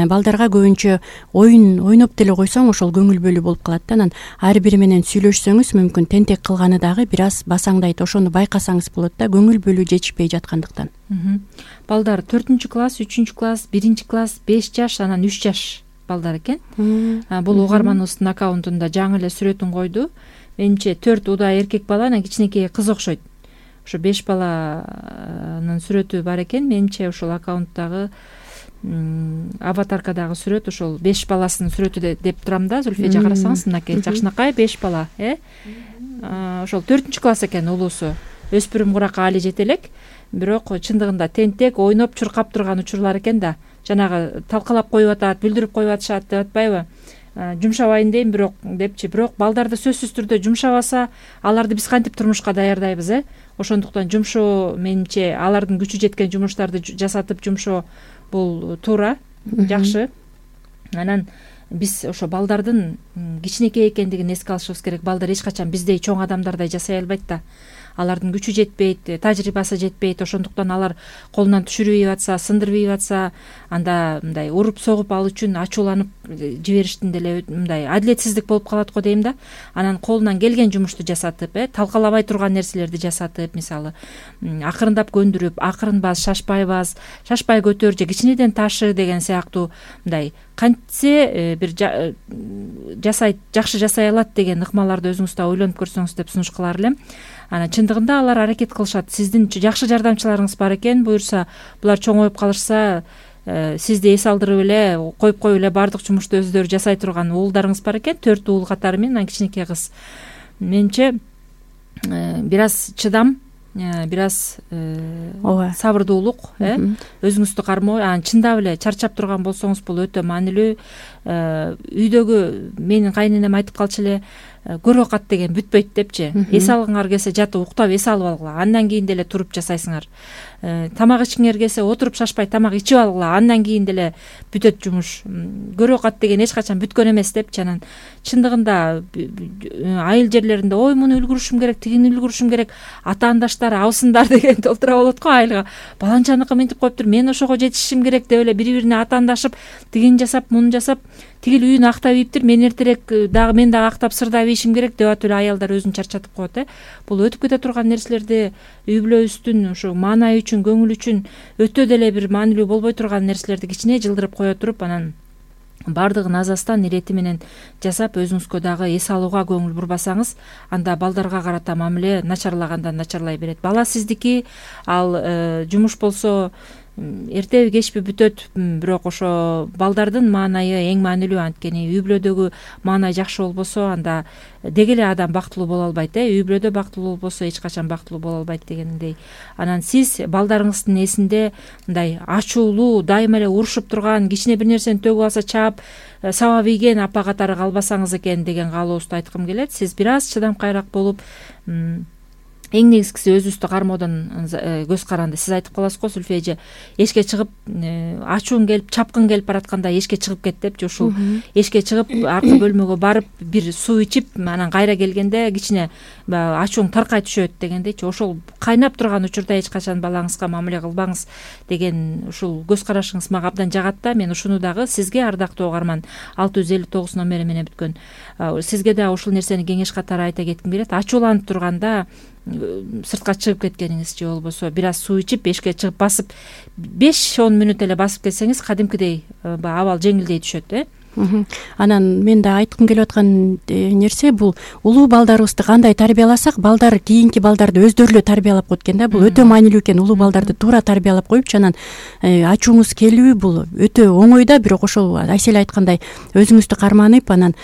балдарга көбүнчө оюн ойноп деле койсоң ошол көңүл бөлүү болуп калат да. Анан ар бири менен сүйлөшсөңүз мүмкүн тентек кылганы дагы бир аз басаңдайт. Ошону байкасаңыз болот да, көңүл бөлүү жетишпей жаткандыктан. Балдар төртүнчү класс, үчүнчү класс, биринчи класс, беш жаш, анан үч жаш балдар экен. Бул угарманыбыздын аккаунтунда жаңы эле сүрөтүн койду. Менимче төрт уда эркек бала, анан кичинекей кыз окшойт. Ошо беш баланын сүрөтү бар экен. Менимче ошол аккаунттагы аватаркадагы сүрөт ошол беш баласынын сүрөтү деп турам да. Зүлфия карасаңыз, мынакей жакшынакай беш бала, э? Ошол төртүнчү класс экен улуусу. Өспүрүм куракка али жете элек, бирок чындыгында тентек ойноп чуркап турган учурлар экен да. Жанагы талкалап коюп атат, бүлдүрүп коюп атышат деп атпайбы? Жумшабайын дейм бирок депчи. Бирок балдарды сөзсүз түрдө жумшабаса, аларды биз кантип турмушка даярдайбыз, э? Ошондуктан жумшоо, менимче, алардын күчү жеткен жумуштарды жасатып жумшоо бул туура, жакшы. Анан биз ошо балдардын кичинекей экендигин эске алышыбыз керек. Балдар эч качан биздей чоң адамдардай жасай албайт да. Алардын күчү жетпейт, тажрыйбасы жетпейт. Ошондуктан алар колунан түшүрбөй атса, сындырбай атса, анда мындай уруп согуп ал үчүн ачууланып жибериштин деле мындай адилетсиздик болуп калат го дейм да. Анан колунан келген жумушту жасатып, э, талкалабай турган нерселерди жасатып, мисалы, акырындап көндүрүп, акырын баз, шашпай баз, шашпай көтөр же кичинеден ташы деген сыяктуу мындай кантсе бир жасайт, жакшы жасай алат деген ыкмаларды өзүңүз да ойлонуп көрсөңүз деп сунуш кылар элем. Анан чындыгында алар аракет кылышат. Сиздин жакшы жардамчыларыңыз бар экен. Буюрса, булар чоңоюп калышса, сизди эс алдырып эле, коюп коюп эле баардык жумушту өздөрү жасай турган уулдарыңыз бар экен. Төрт уул катары менен, анан кичинекей кыз. Менимче бир аз чыдам, бир аз сабырдуулук, э, өзүңүздү кармоо. Анан чындап эле чарчап турган болсоңуз, бул өтө маанилүү. Үйдөгү менин кайненем айтып калчу эле, көрөкат деген бүтпөйт депчи. Эс алгыңар келсе жатып уктап эс алып алгыла, андан кийин деле туруп жасайсыңар. Тамак ичкиңер келсе отуруп шашпай тамак ичип алгыла, андан кийин деле бүтөт жумуш. Көрөкат деген эч качан бүткөн эмес депчи. Анан чындыгында айыл жерлеринде ой муну үлгүрүшүм керек, тигини үлгүрүшүм керек, атаандаштар, абысындар деген толтура болот го айылга. Баланчаныкы мынтип коюптур, мен ошого жетишишим керек деп эле бири-бирине атаандашып, тигин жасап, муну жасап, тигил үйүн актап ийиптир, мен эртерээк дагы мен дагы актап сырдап ийишим керек деп атып эле аялдар өзүн чарчатып коет, э. Бул өтүп кете турган нерселерди үй бүлөбүздүн ушу маанайы үчүн, көңүл үчүн өтө деле бир маанилүү болбой турган нерселерди кичине жылдырып кое туруп, анан баардыгын азастан ирети менен жасап, өзүңүзгө дагы эс алууга көңүл бурбасаңыз, анда балдарга карата мамиле начарлагандан начарлай берет. Бала сиздики, ал жумуш болсо эртеби кечпи бүтөт, бирок ошо балдардын маанайы эң маанилүү. Анткени үй бүлөдөгү маанай жакшы болбосо, анда деги эле адам бактылуу боло албайт, э. Үй бүлөдө бактылуу болбосо эч качан бактылуу боло албайт дегендей. Анан сиз балдарыңыздын эсинде мындай ачуулуу, дайыма эле урушуп турган, кичине бир нерсени төгүп алса чаап сабап ийген апа катары калбасаңыз экен деген каалообузду айткым келет. Сиз бир аз чыдамкайраак болуп, эң негизгиси өзүбүздү кармоодон көз каранды. Сиз айтып каласыз го, Зүлфия эже, эшикке чыгып, ачуун келип, чапкын келип баратканда эшикке чыгып кет депчи. Ушул эшикке чыгып, аркы бөлмөгө барып, бир суу ичип, анан кайра келгенде кичине ачууң таркай түшөт дегендейчи. Ошол кайнап турган учурда эч качан балаңызга мамиле кылбаңыз деген ушул көз карашыңыз мага абдан жагат да. Мен ушуну дагы сизге, ардактуу угарман, алты жүз элүү тогуз номери менен бүткөн, сизге дагы ушул нерсени кеңеш катары айта кетким келет. Ачууланып турганда сыртка чыгып кеткениңиз же болбосо бир аз суу ичип эшикке чыгып басып беш он мүнөт эле басып келсеңиз, кадимкидей абал жеңилдей түшөт, э. Анан мен да айткым келип аткан нерсе бул улуу балдарыбызды кандай тарбияласак, балдар кийинки балдарды өздөрү эле тарбиялап койт экен да. Бул өтө маанилүү экен. Улуу балдарды туура тарбиялап коюпчу, анан ачууңуз келүү бул өтө оңой да, бирок ошол Айселе айткандай өзүңүздү карманып, анан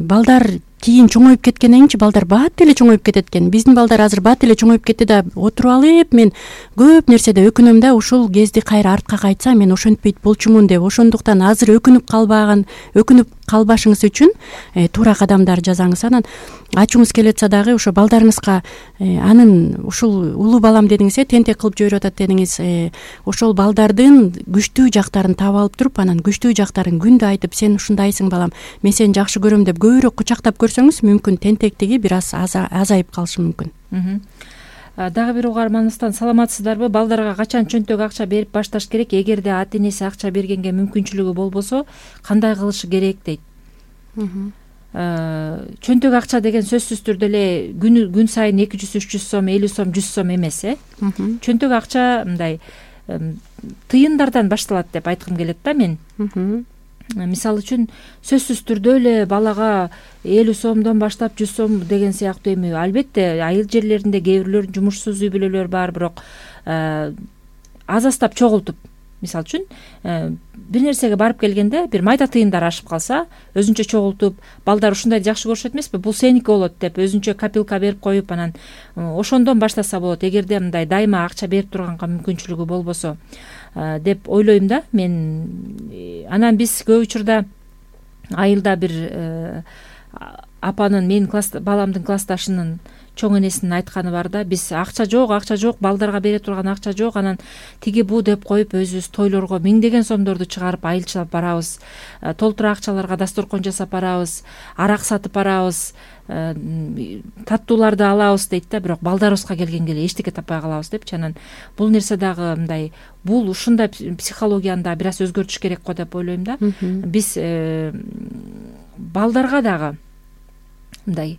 балдар кийин чоңоюп кеткенден кийинчи балдар бат эле чоңоюп кетет экен. Биздин балдар азыр бат эле чоңоюп кетти да, отуруп алып мен көп нерседе өкүнөм да, ушул кезди кайра артка кайтса мен ошентпейт болчумун деп. Ошондуктан азыр өкүнүп калбаган, өкүнүп калбашыңыз үчүн э, туура кадамдар жасаңыз. Анан ачууңуз келип атса дагы ошо балдарыңызга э, анын ушул улуу балам дедиңиз, э, тентек кылып жиберип атат дедиңиз. Э, ошол балдардын күчтүү жактарын таап алып туруп, анан күчтүү жактарын күндө айтып, сен ушундайсың балам, мен сени жакшы көрөм деп көбүрөөк кучактап көрсөңүз, мүмкүн тентектиги бир аз азайып калышы мүмкүн. Дагы бир угарманыбыздан саламатсыздарбы? Балдарга качан чөнтөк акча берип башташ керек? Эгерде ата энеси акча бергенге мүмкүнчүлүгү болбосо, кандай кылышы керек дейт. Чөнтөк акча деген сөзсүз түрдө эле күн күн сайын эки жүз, үч жүз сом, элүү сом, жүз сом эмес, э? Чөнтөк акча мындай тыйындардан башталат деп айткым келет да мен. Мисалы үчүн сөзсүз түрдө эле балага элүү сомдон баштап жүз сом деген сыяктуу эми, албетте айыл жерлеринде кээ бирлөр жумушсуз үй бүлөлөр бар, бирок азастап чогултуп, мисалы үчүн бир нерсеге барып келгенде бир майда тыйындар ашып калса, өзүнчө чогултуп, балдар ушундайды жакшы көрүшөт эмеспи, бул сеники болот деп өзүнчө копилка берип коюп, анан ошондон баштаса болот, эгерде мындай дайыма акча берип турганга мүмкүнчүлүгү болбосо деп ойлойм да мен. Анан биз көп учурда айылда бир апанын, менин класс баламдын классташынын чоң энесинин айтканы бар да, биз акча жок, акча жок, балдарга бере турган акча жок, анан тиги бу деп коюп өзүбүз тойлорго миңдеген сомдорду чыгарып айылчылап барабыз, толтура акчаларга дасторкон жасап барабыз, арак сатып барабыз, таттууларды алабыз дейт да, бирок балдарыбызга келгенге эле эчтеке таппай калабыз депчи. Анан бул нерсе дагы мындай, бул ушундай психологияны да бир аз өзгөртүш керек го деп ойлойм да. Биз балдарга дагы мындай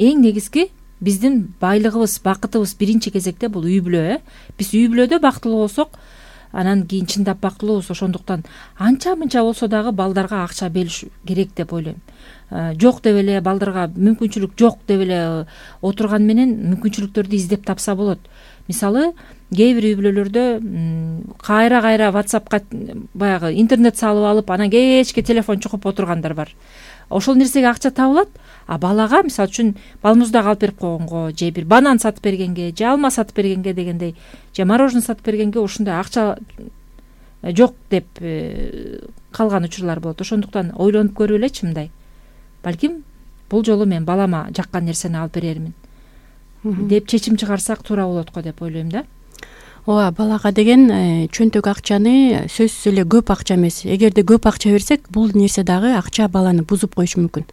эң негизги биздин байлыгыбыз, бакытыбыз биринчи кезекте бул үй бүлө, э? Биз үй бүлөдө бактылуу болсок, анан кийин чындап бактылуубуз. Ошондуктан анча мынча болсо дагы балдарга акча бериш керек деп ойлойм. Жок деп эле балдарга мүмкүнчүлүк жок деп эле отурган менен мүмкүнчүлүктөрдү издеп тапса болот. Мисалы, кээ бир үй бүлөлөрдө кайра кайра WhatsAppка баягы интернет салып алып, анан кечке телефон чукуп отургандар бар. Ошол нерсеге акча табылат, а балага мисалы үчүн балмуздак алып берип койгонго, же бир банан сатып бергенге, же алма сатып бергенге дегендей, же мороженое сатып бергенге ушундай акча жок деп калган учурлар болот. Ошондуктан ойлонуп көрүп элечи мындай, балким бул жолу мен балама жаккан нерсени алып берермин деп чечим чыгарсак туура болот го деп ойлойм да. Ооба, балага деген чөнтөк акчаны сөзсүз эле көп акча эмес. Эгерде көп акча берсек, бул нерсе дагы акча баланы бузуп коюшу мүмкүн.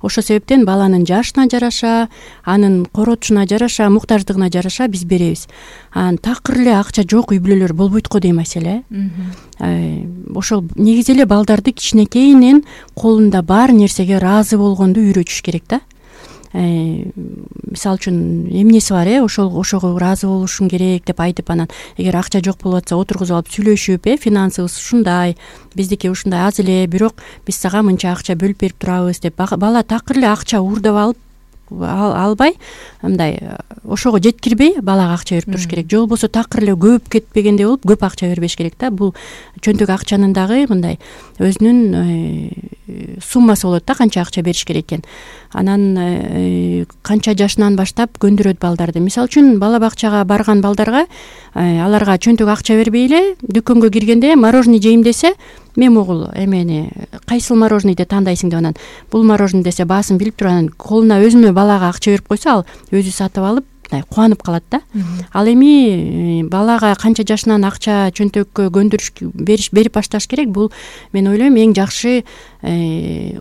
Ошол себептен баланын жашына жараша, анын коротушуна жараша, муктаждыгына жараша биз беребиз. Анан такыр эле акча жок үй бүлөлөр болбойт го дейм маселе. Ошол негизи эле балдарды кичинекейинен колунда бар нерсеге ыраазы болгонду үйрөтүш керек да. Мисалы үчүн эмнеси бар, э, ошол ошого ыраазы болушуң керек деп айтып, анан эгер акча жок болуп атса отургузуп алып сүйлөшүп, э, финансыбыз ушундай, биздики ушундай аз эле, бирок биз сага мынча акча бөлүп берип турабыз деп, бала такыр эле акча уурдап алып албай, мындай ошого жеткирбей балага акча берип туруш керек. Же болбосо такыр эле көп кетпегендей болуп көп акча бербеш керек да. Бул чөнтөк акчанын дагы мындай өзүнүн суммасы болот да, канча акча бериш керек экен. Анан канча жашынан баштап көндүрөт балдарды. Мисалы үчүн бала бакчага барган балдарга аларга чөнтөк акча бербей эле дүкөнгө киргенде мороженое жейм десе, мен огул эмени кайсыл мороженейди тандайсың деп, анан бул мороженое десе баасын билип туруп, анан колуна өзүнө балага акча берип койсо, ал өзү сатып алып кубанып калат да. Ал эми балага канча жашынан акча чөнтөккө көндүрүш бериш берип башташ керек. Бул мен ойлойм эң жакшы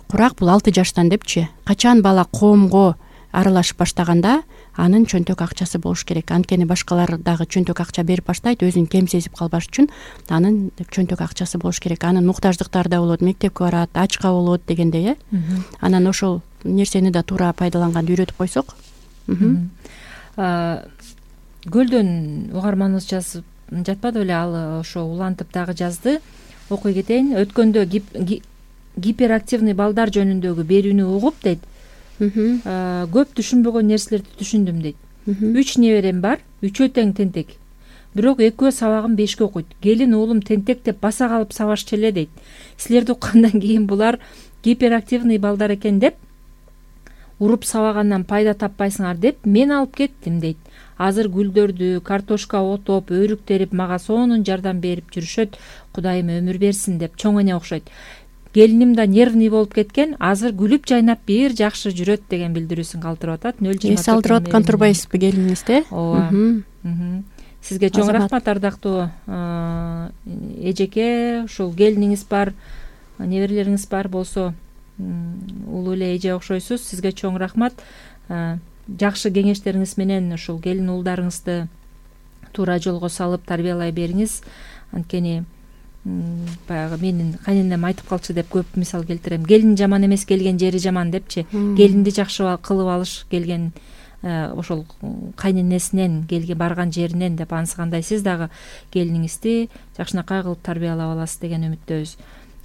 курак бул алты жаштан депчи. Качан бала коомго аралашып баштаганда анын чөнтөк акчасы болуш керек. Анткени башкалар дагы чөнтөк акча берип баштайт, өзүн кем сезип калбаш үчүн анын чөнтөк акчасы болуш керек. Анын муктаждыктары да болот, мектепке барат, ачка болот дегендей, э. Анан ошол нерсени да туура пайдаланганды үйрөтүп койсок. Гөлдөн угарманыбыз жазып жатпады беле, ал ошо улантып дагы жазды. Окуй кетейин. Өткөндө гиперактивный балдар жөнүндөгү берүүнү угуп дейт. Көп түшүнбөгөн нерселерди түшүндүм дейт. Үч неберем бар, үчөө тең тентек. бирок экөө сабагын бешке окуйт. Келин уулум тентек деп баса калып сабашчу эле дейт. Силерди уккандан кийин булар гиперактивный балдар экен деп уруп сабагандан пайда таппайсыңар деп мен алып кеттим дейт. Азыр гүлдөрдү, картошка отоп, өрүк терип мага сонун жардам берип жүрүшөт. Кудайым өмүр берсин деп. Чоң эне окшойт. Келиним да нервный болуп кеткен, азыр күлүп жайнап бир жакшы жүрөт деген билдирүүсүн калтырып атат. нөл жыйырма төрт эс алдырып аткан турбайсызбы келиңизди? Ооба. Сизге чоң рахмат ардактуу эжеке. Ушул келиниңиз бар, неберелериңиз бар болсо улуу эле эже окшойсуз. Сизге чоң рахмат. Жакшы кеңештериңиз менен ушул келин уулдарыңызды туура жолго салып тарбиялай бериңиз. Анткени баягы менин кайненем айтып калчу деп көп мисал келтирем. Келин жаман эмес, келген жери жаман депчи. Келинди жакшы кылып алыш келген ошол кайненесинен келген барган жеринен деп ансыгандай сиз дагы келиниңизди жакшынакай кылып тарбиялап аласыз деген үмүттөбүз.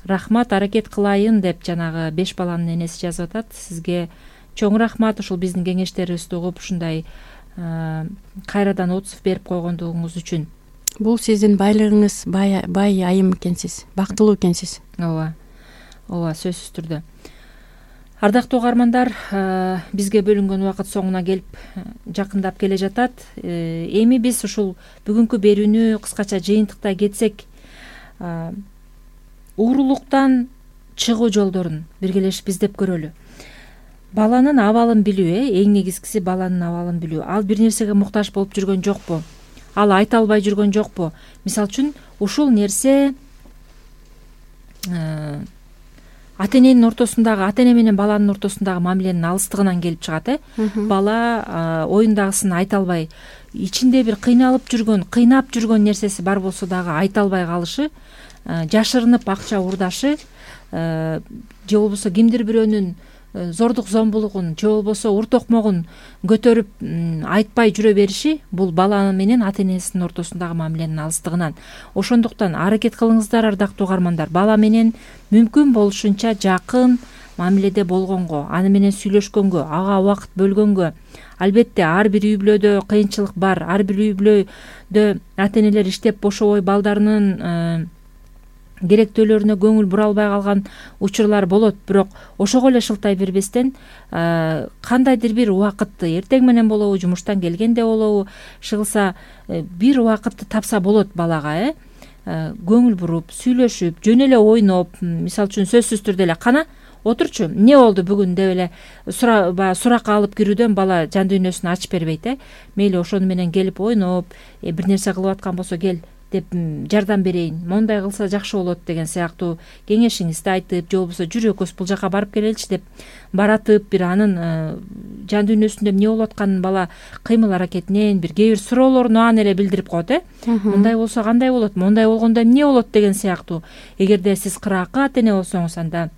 Рахмат, аракет кылайын деп жанагы беш баланын энеси жазып атат. Сизге чоң рахмат ушул биздин кеңештерибизди угуп ушундай кайрадан отзыв берип койгондугуңуз үчүн. Бул сиздин байлыгыңыз, бай бай айым экенсиз, бактылуу экенсиз. Ооба. Ооба, сөзсүз түрдө. Ардактуу угармандар, бизге бөлүнгөн убакыт соңуна келип жакындап келе жатат. Эми биз ушул бүгүнкү берүүнү кыскача жыйынтыктай кетсек, уурулуктан чыгуу жолдорун биргелешип издеп көрөлү. Баланын абалын билүү, э, эң негизгиси баланын абалын билүү. Ал бир нерсеге муктаж болуп жүргөн жокпу? Ал айта албай жүргөн жокпу? Мисалы үчүн, ушул нерсе ата эненин ортосундагы, ата эне менен баланын ортосундагы мамиленин алыстыгынан келип чыгат, э. Бала оюндагысын айта албай, ичинде бир кыйналып жүргөн, кыйнап жүргөн нерсеси бар болсо дагы айта албай калышы, жашырынып акча урдашы, же болбосо кимдир бирөөнүн зордук зомбулугун, же болбосо ур токмогун көтөрүп айтпай жүрө бериши, бул бала менен ата энесинин ортосундагы мамиленин алыстыгынан. Ошондуктан аракет кылыңыздар, ардактуу угармандар, бала менен мүмкүн болушунча жакын мамиледе болгонго, аны менен сүйлөшкөнгө, ага убакыт бөлгөнгө. Албетте ар бир үй бүлөдө кыйынчылык бар, ар бир үй бүлөдө ата энелер иштеп бошобой балдарынын керектөөлөрүнө көңүл бура албай калган учурлар болот, бирок ошого эле шылтай бербестен кандайдыр бир убакытты, эртең менен болобу, жумуштан келгенде болобу, шыгылса бир убакытты тапса болот балага, э көңүл буруп, сүйлөшүп, жөн эле ойноп, мисалы үчүн сөзсүз түрдө эле кана отурчу, эмне болду бүгүн деп эле суракка алып кирүүдөн бала жан дүйнөсүн ачып бербейт, э мейли ошону менен келип ойноп, бир нерсе кылып аткан болсо кел деп жардам берейин, мондай кылса жакшы болот деген сыяктуу кеңешиңизди айтып, же болбосо жүрөкөз бул жака барып келеличи деп баратып, бир анын жан дүйнөсүндө эмне болуп атканын бала кыймыл аракетинен бир кээ бир суроолорун аны эле билдирип коет, э мындай болсо кандай болот, мондай болгондо эмне болот деген сыяктуу. Эгерде сиз кыраакы ата эне болсоңуз, анда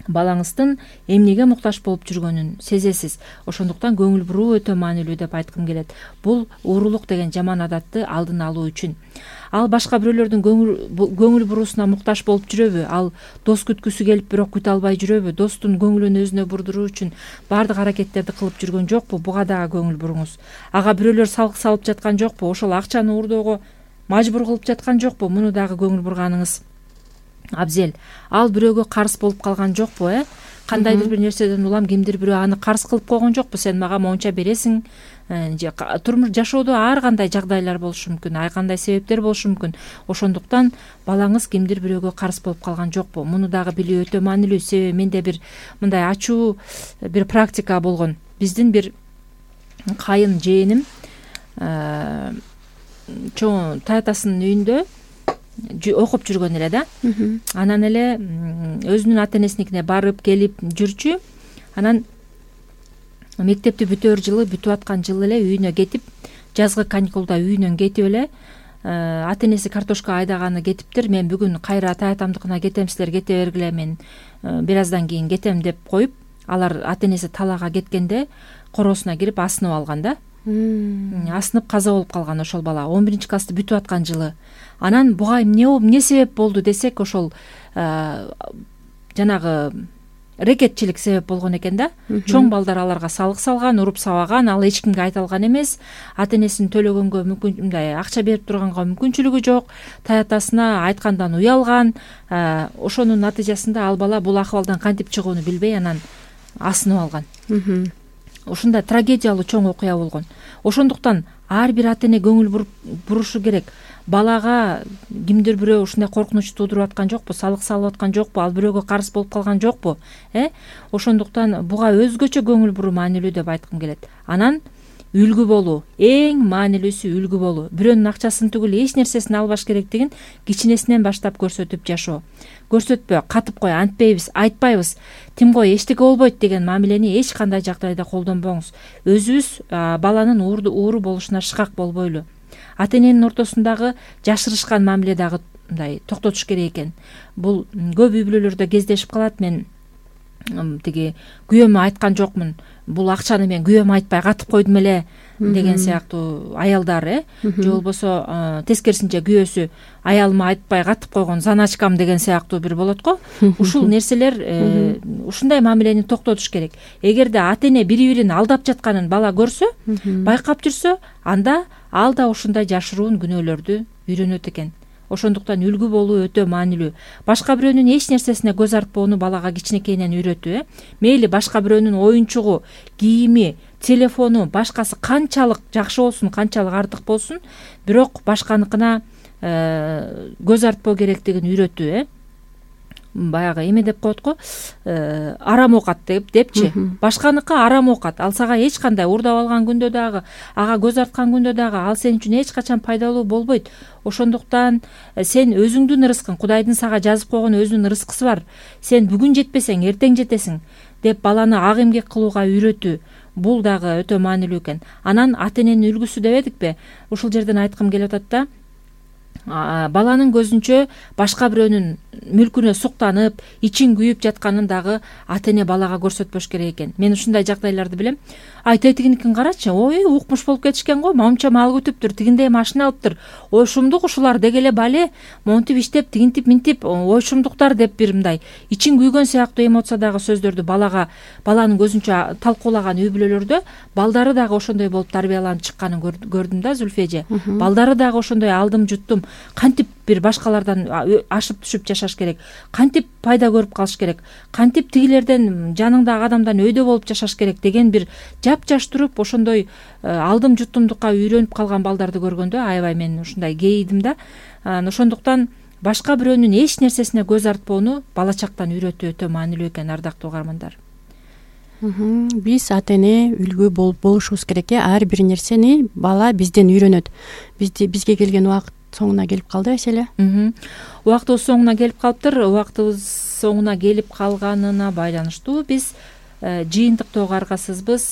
балаңыздын эмнеге муктаж болуп жүргөнүн сезесиз. Ошондуктан көңүл буруу өтө маанилүү деп айткым келет. Бул уурулук деген жаман адатты алдын алуу үчүн. Ал башка бирөөлөрдүн көңүл буруусуна муктаж болуп жүрөбү? Ал дос күткүсү келип бирок күтө албай жүрөбү? Достун көңүлүн өзүнө бурдуруу үчүн баардык аракеттерди кылып жүргөн жокпу? Буга дагы көңүл буруңуз. Ага бирөөлөр салык салып жаткан жокпу? Ошол акчаны уурдоого мажбур кылып жаткан жокпу? Муну дагы көңүл бурганыңыз абзел. Ал бирөөгө карыз болуп калган жокпу, э? Кандайдыр бир нерседен улам кимдир бирөө аны карыз кылып койгон жокпу? Сен мага монча бересиң. Же турмуш жашоодо ар кандай жагдайлар болушу мүмкүн, ар кандай себептер болушу мүмкүн. Ошондуктан балаңыз кимдир бирөөгө карыз болуп калган жокпу? Муну дагы билүү өтө маанилүү. Себеби менде бир мындай ачуу бир практика болгон. Биздин бир кайын жээним чоң таятасынын үйүндө окуп жүргөн эле да. Анан эле өзүнүн ата энесиникине барып келип жүрчү. Анан мектепти бүтөөр жылы, бүтүп аткан жылы эле үйүнө кетип, жазгы каникулда үйүнөн кетип эле ата энеси картошка айдаганы кетиптир. Мен бүгүн кайра таятамдыкына кетем, силер кете бергиле, мен бир аздан кийин кетем деп коюп, алар ата энеси талаага кеткенде короосуна кирип асынып алган да. Асынып каза болуп калган ошол бала. он биринчи классты бүтүп аткан жылы. Анан буга эмне болуп, эмне себеп болду десек, ошол жанагы рекетчилик себеп болгон экен да. Чоң балдар аларга салык салган, уруп сабаган, ал эч кимге айта алган эмес. Ата энесин төлөгөнгө мүмкүн мындай акча берип турганга мүмкүнчүлүгү жок. Таятасына айткандан уялган. Ошонун натыйжасында ал бала бул акыбалдан кантип чыгууну билбей анан асынып алган. Ушундай трагедиялуу чоң окуя болгон. Ошондуктан ар бир ата эне көңүл бурушу керек. Балага кимдир бирөө ушундай коркунуч туудуруп аткан жокпу, салык салып аткан жокпу, ал бирөөгө карыз болуп калган жокпу, э? Ошондуктан буга өзгөчө көңүл буруу маанилүү деп айткым келет. Анан үлгү болуу, эң маанилүүсү үлгү болуу. Бирөөнүн акчасын түгүл эч нерсесин албаш керектигин кичинесинен баштап көрсөтүп жашоо. Көрсөтпө, катып кой, антпейбиз, айтпайбыз, тим кой, эчтеке болбойт деген мамилени эч кандай жагдайда колдонбоңуз. Өзүбүз баланын ууру болушуна шыкак болбойлу. Ата эненин ортосундагы жашырышкан мамиле дагы мындай токтотуш керек экен. Бул көп үй бүлөлөрдө кездешип калат. Мен тиги күйөөмө айткан жокмун, бул акчаны мен күйөөмө айтпай катып койдум эле деген сыяктуу аялдар, э? Же болбосо тескерисинче күйөөсү аялыма айтпай катып койгон заначкам деген сыяктуу бир болот го. Ушул нерселер ушундай мамилени токтотуш керек. Эгерде ата эне бири-бирин алдап жатканын бала көрсө, байкап жүрсө, анда ал да ушундай жашыруун күнөөлөрдү үйрөнөт экен. Ошондуктан үлгү болуу өтө маанилүү. Башка бирөөнүн эч нерсесине көз артпоону балага кичинекейинен үйрөтүү, э? Мейли башка бирөөнүн оюнчугу, кийими, телефону, башкасы канчалык жакшы болсун, канчалык артык болсун, бирок башканыкына көз артпоо керектигин үйрөтүү, э? Баягы эме деп коет го, арам оокат деп депчи. Башканыкы арам оокат. Ал сага эч кандай уурдап алган күндө дагы, ага көз арткан күндө дагы ал сен үчүн эч качан пайдалуу болбойт. Ошондуктан сен өзүңдүн ырыскың, Кудайдын сага жазып койгон өзүнүн ырыскысы бар. Сен бүгүн жетпесең, эртең жетесиң деп баланы ак эмгек кылууга үйрөтүү. Бул дагы өтө маанилүү экен. Анан ата эненин үлгүсү дебедикпи? Ушул жерден айткым келип атат да. Баланын көзүнчө башка бирөөнүн мүлкүнө суктанып, ичин күйүп жатканын дагы ата эне балага көрсөтпөш керек экен. Мен ушундай жагдайларды билем. Ай, тетигиникин карачы, ой, укмуш болуп кетишкен го, момча мал күтүптүр, тигиндей машина алыптыр. Ой, шумдук ушулар дегеле бале, монтип иштеп, тигинтип, минтип, ой, шумдуктар деп бир мындай ичин күйгөн сыяктуу эмоциядагы сөздөрдү балага, баланын көзүнчө талкуулаган үй бүлөлөрдө балдары дагы ошондой болуп тарбияланып чыкканын көрдүм да, Зүлфия эже. Балдары дагы ошондой алдым жуттум. Кантип бир башкалардан ашып түшүп жашаш керек, кантип пайда көрүп калыш керек, кантип тигилерден, жаныңдагы адамдан өйдө болуп жашаш керек деген бир жапжаш туруп ошондой алдым жуттумдукка үйрөнүп калган балдарды көргөндө аябай мен ушундай кейидим да. Ошондуктан башка бирөөнүн эч нерсесине көз артпоону бала чактан үйрөтүү өтө маанилүү экен, ардактуу угармандар. Биз ата эне үлгү болушубуз керек, э? Ар бир нерсени бала бизден үйрөнөт. Бизди бизге келген убакыт соңуна келип калды, Айселе. Убактыбыз соңуна келип калыптыр. Убактыбыз соңуна келип калганына байланыштуу биз жыйынтыктоого аргасызбыз.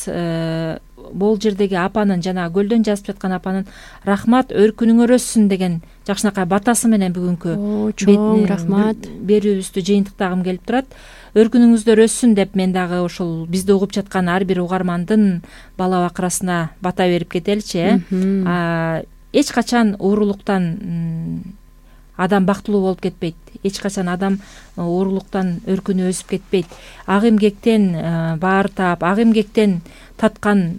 Бул жердеги апанын, жана көлдөн жазып жаткан апанын рахмат, өркүнүңөр өссүн деген жакшынакай батасы менен бүгүнкү чоң рахмат берүүбүздү жыйынтыктагым келип турат. Өркүнүңүздөр өссүн деп мен дагы ушул бизди угуп жаткан ар бир угармандын бала бакырасына бата берип кетеличи, э? Эч качан уурулуктан адам бактылуу болуп кетпейт. Эч качан адам уурулуктан өркүнү өсүп кетпейт. Ак эмгектен баар таап, ак эмгектен таткан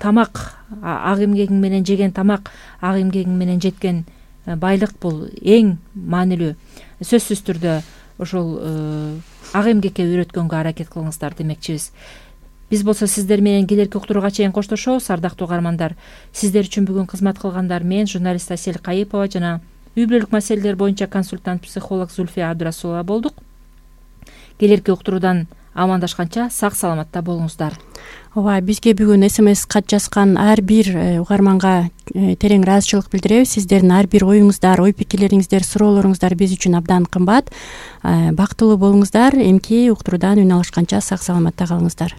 тамак, ак эмгегиң менен жеген тамак, ак эмгегиң менен жеткен байлык бул эң маанилүү. Сөзсүз түрдө ошол ак эмгекке үйрөткөнгө аракет кылыңыздар демекчибиз. Биз болсо сиздер менен келерки уктурууга чейин коштошобуз, ардактуу угармандар. Сиздер үчүн бүгүн кызмат кылгандар мен, журналист Асель Кайыпова жана үй бүлөлүк маселелер боюнча консультант психолог Зүлфия Абдурасулова болдук. Келерки уктуруудан амандашканча сак саламатта болуңуздар. Ооба, бизге бүгүн смс кат жазган ар бир угарманга терең ыраазычылык билдиребиз. Сиздердин ар бир оюңуздар, ой пикирлериңиздер, суроолоруңуздар биз үчүн абдан кымбат. Бактылуу болуңуздар. Эмки уктуруудан үн алышканча сак саламатта калыңыздар.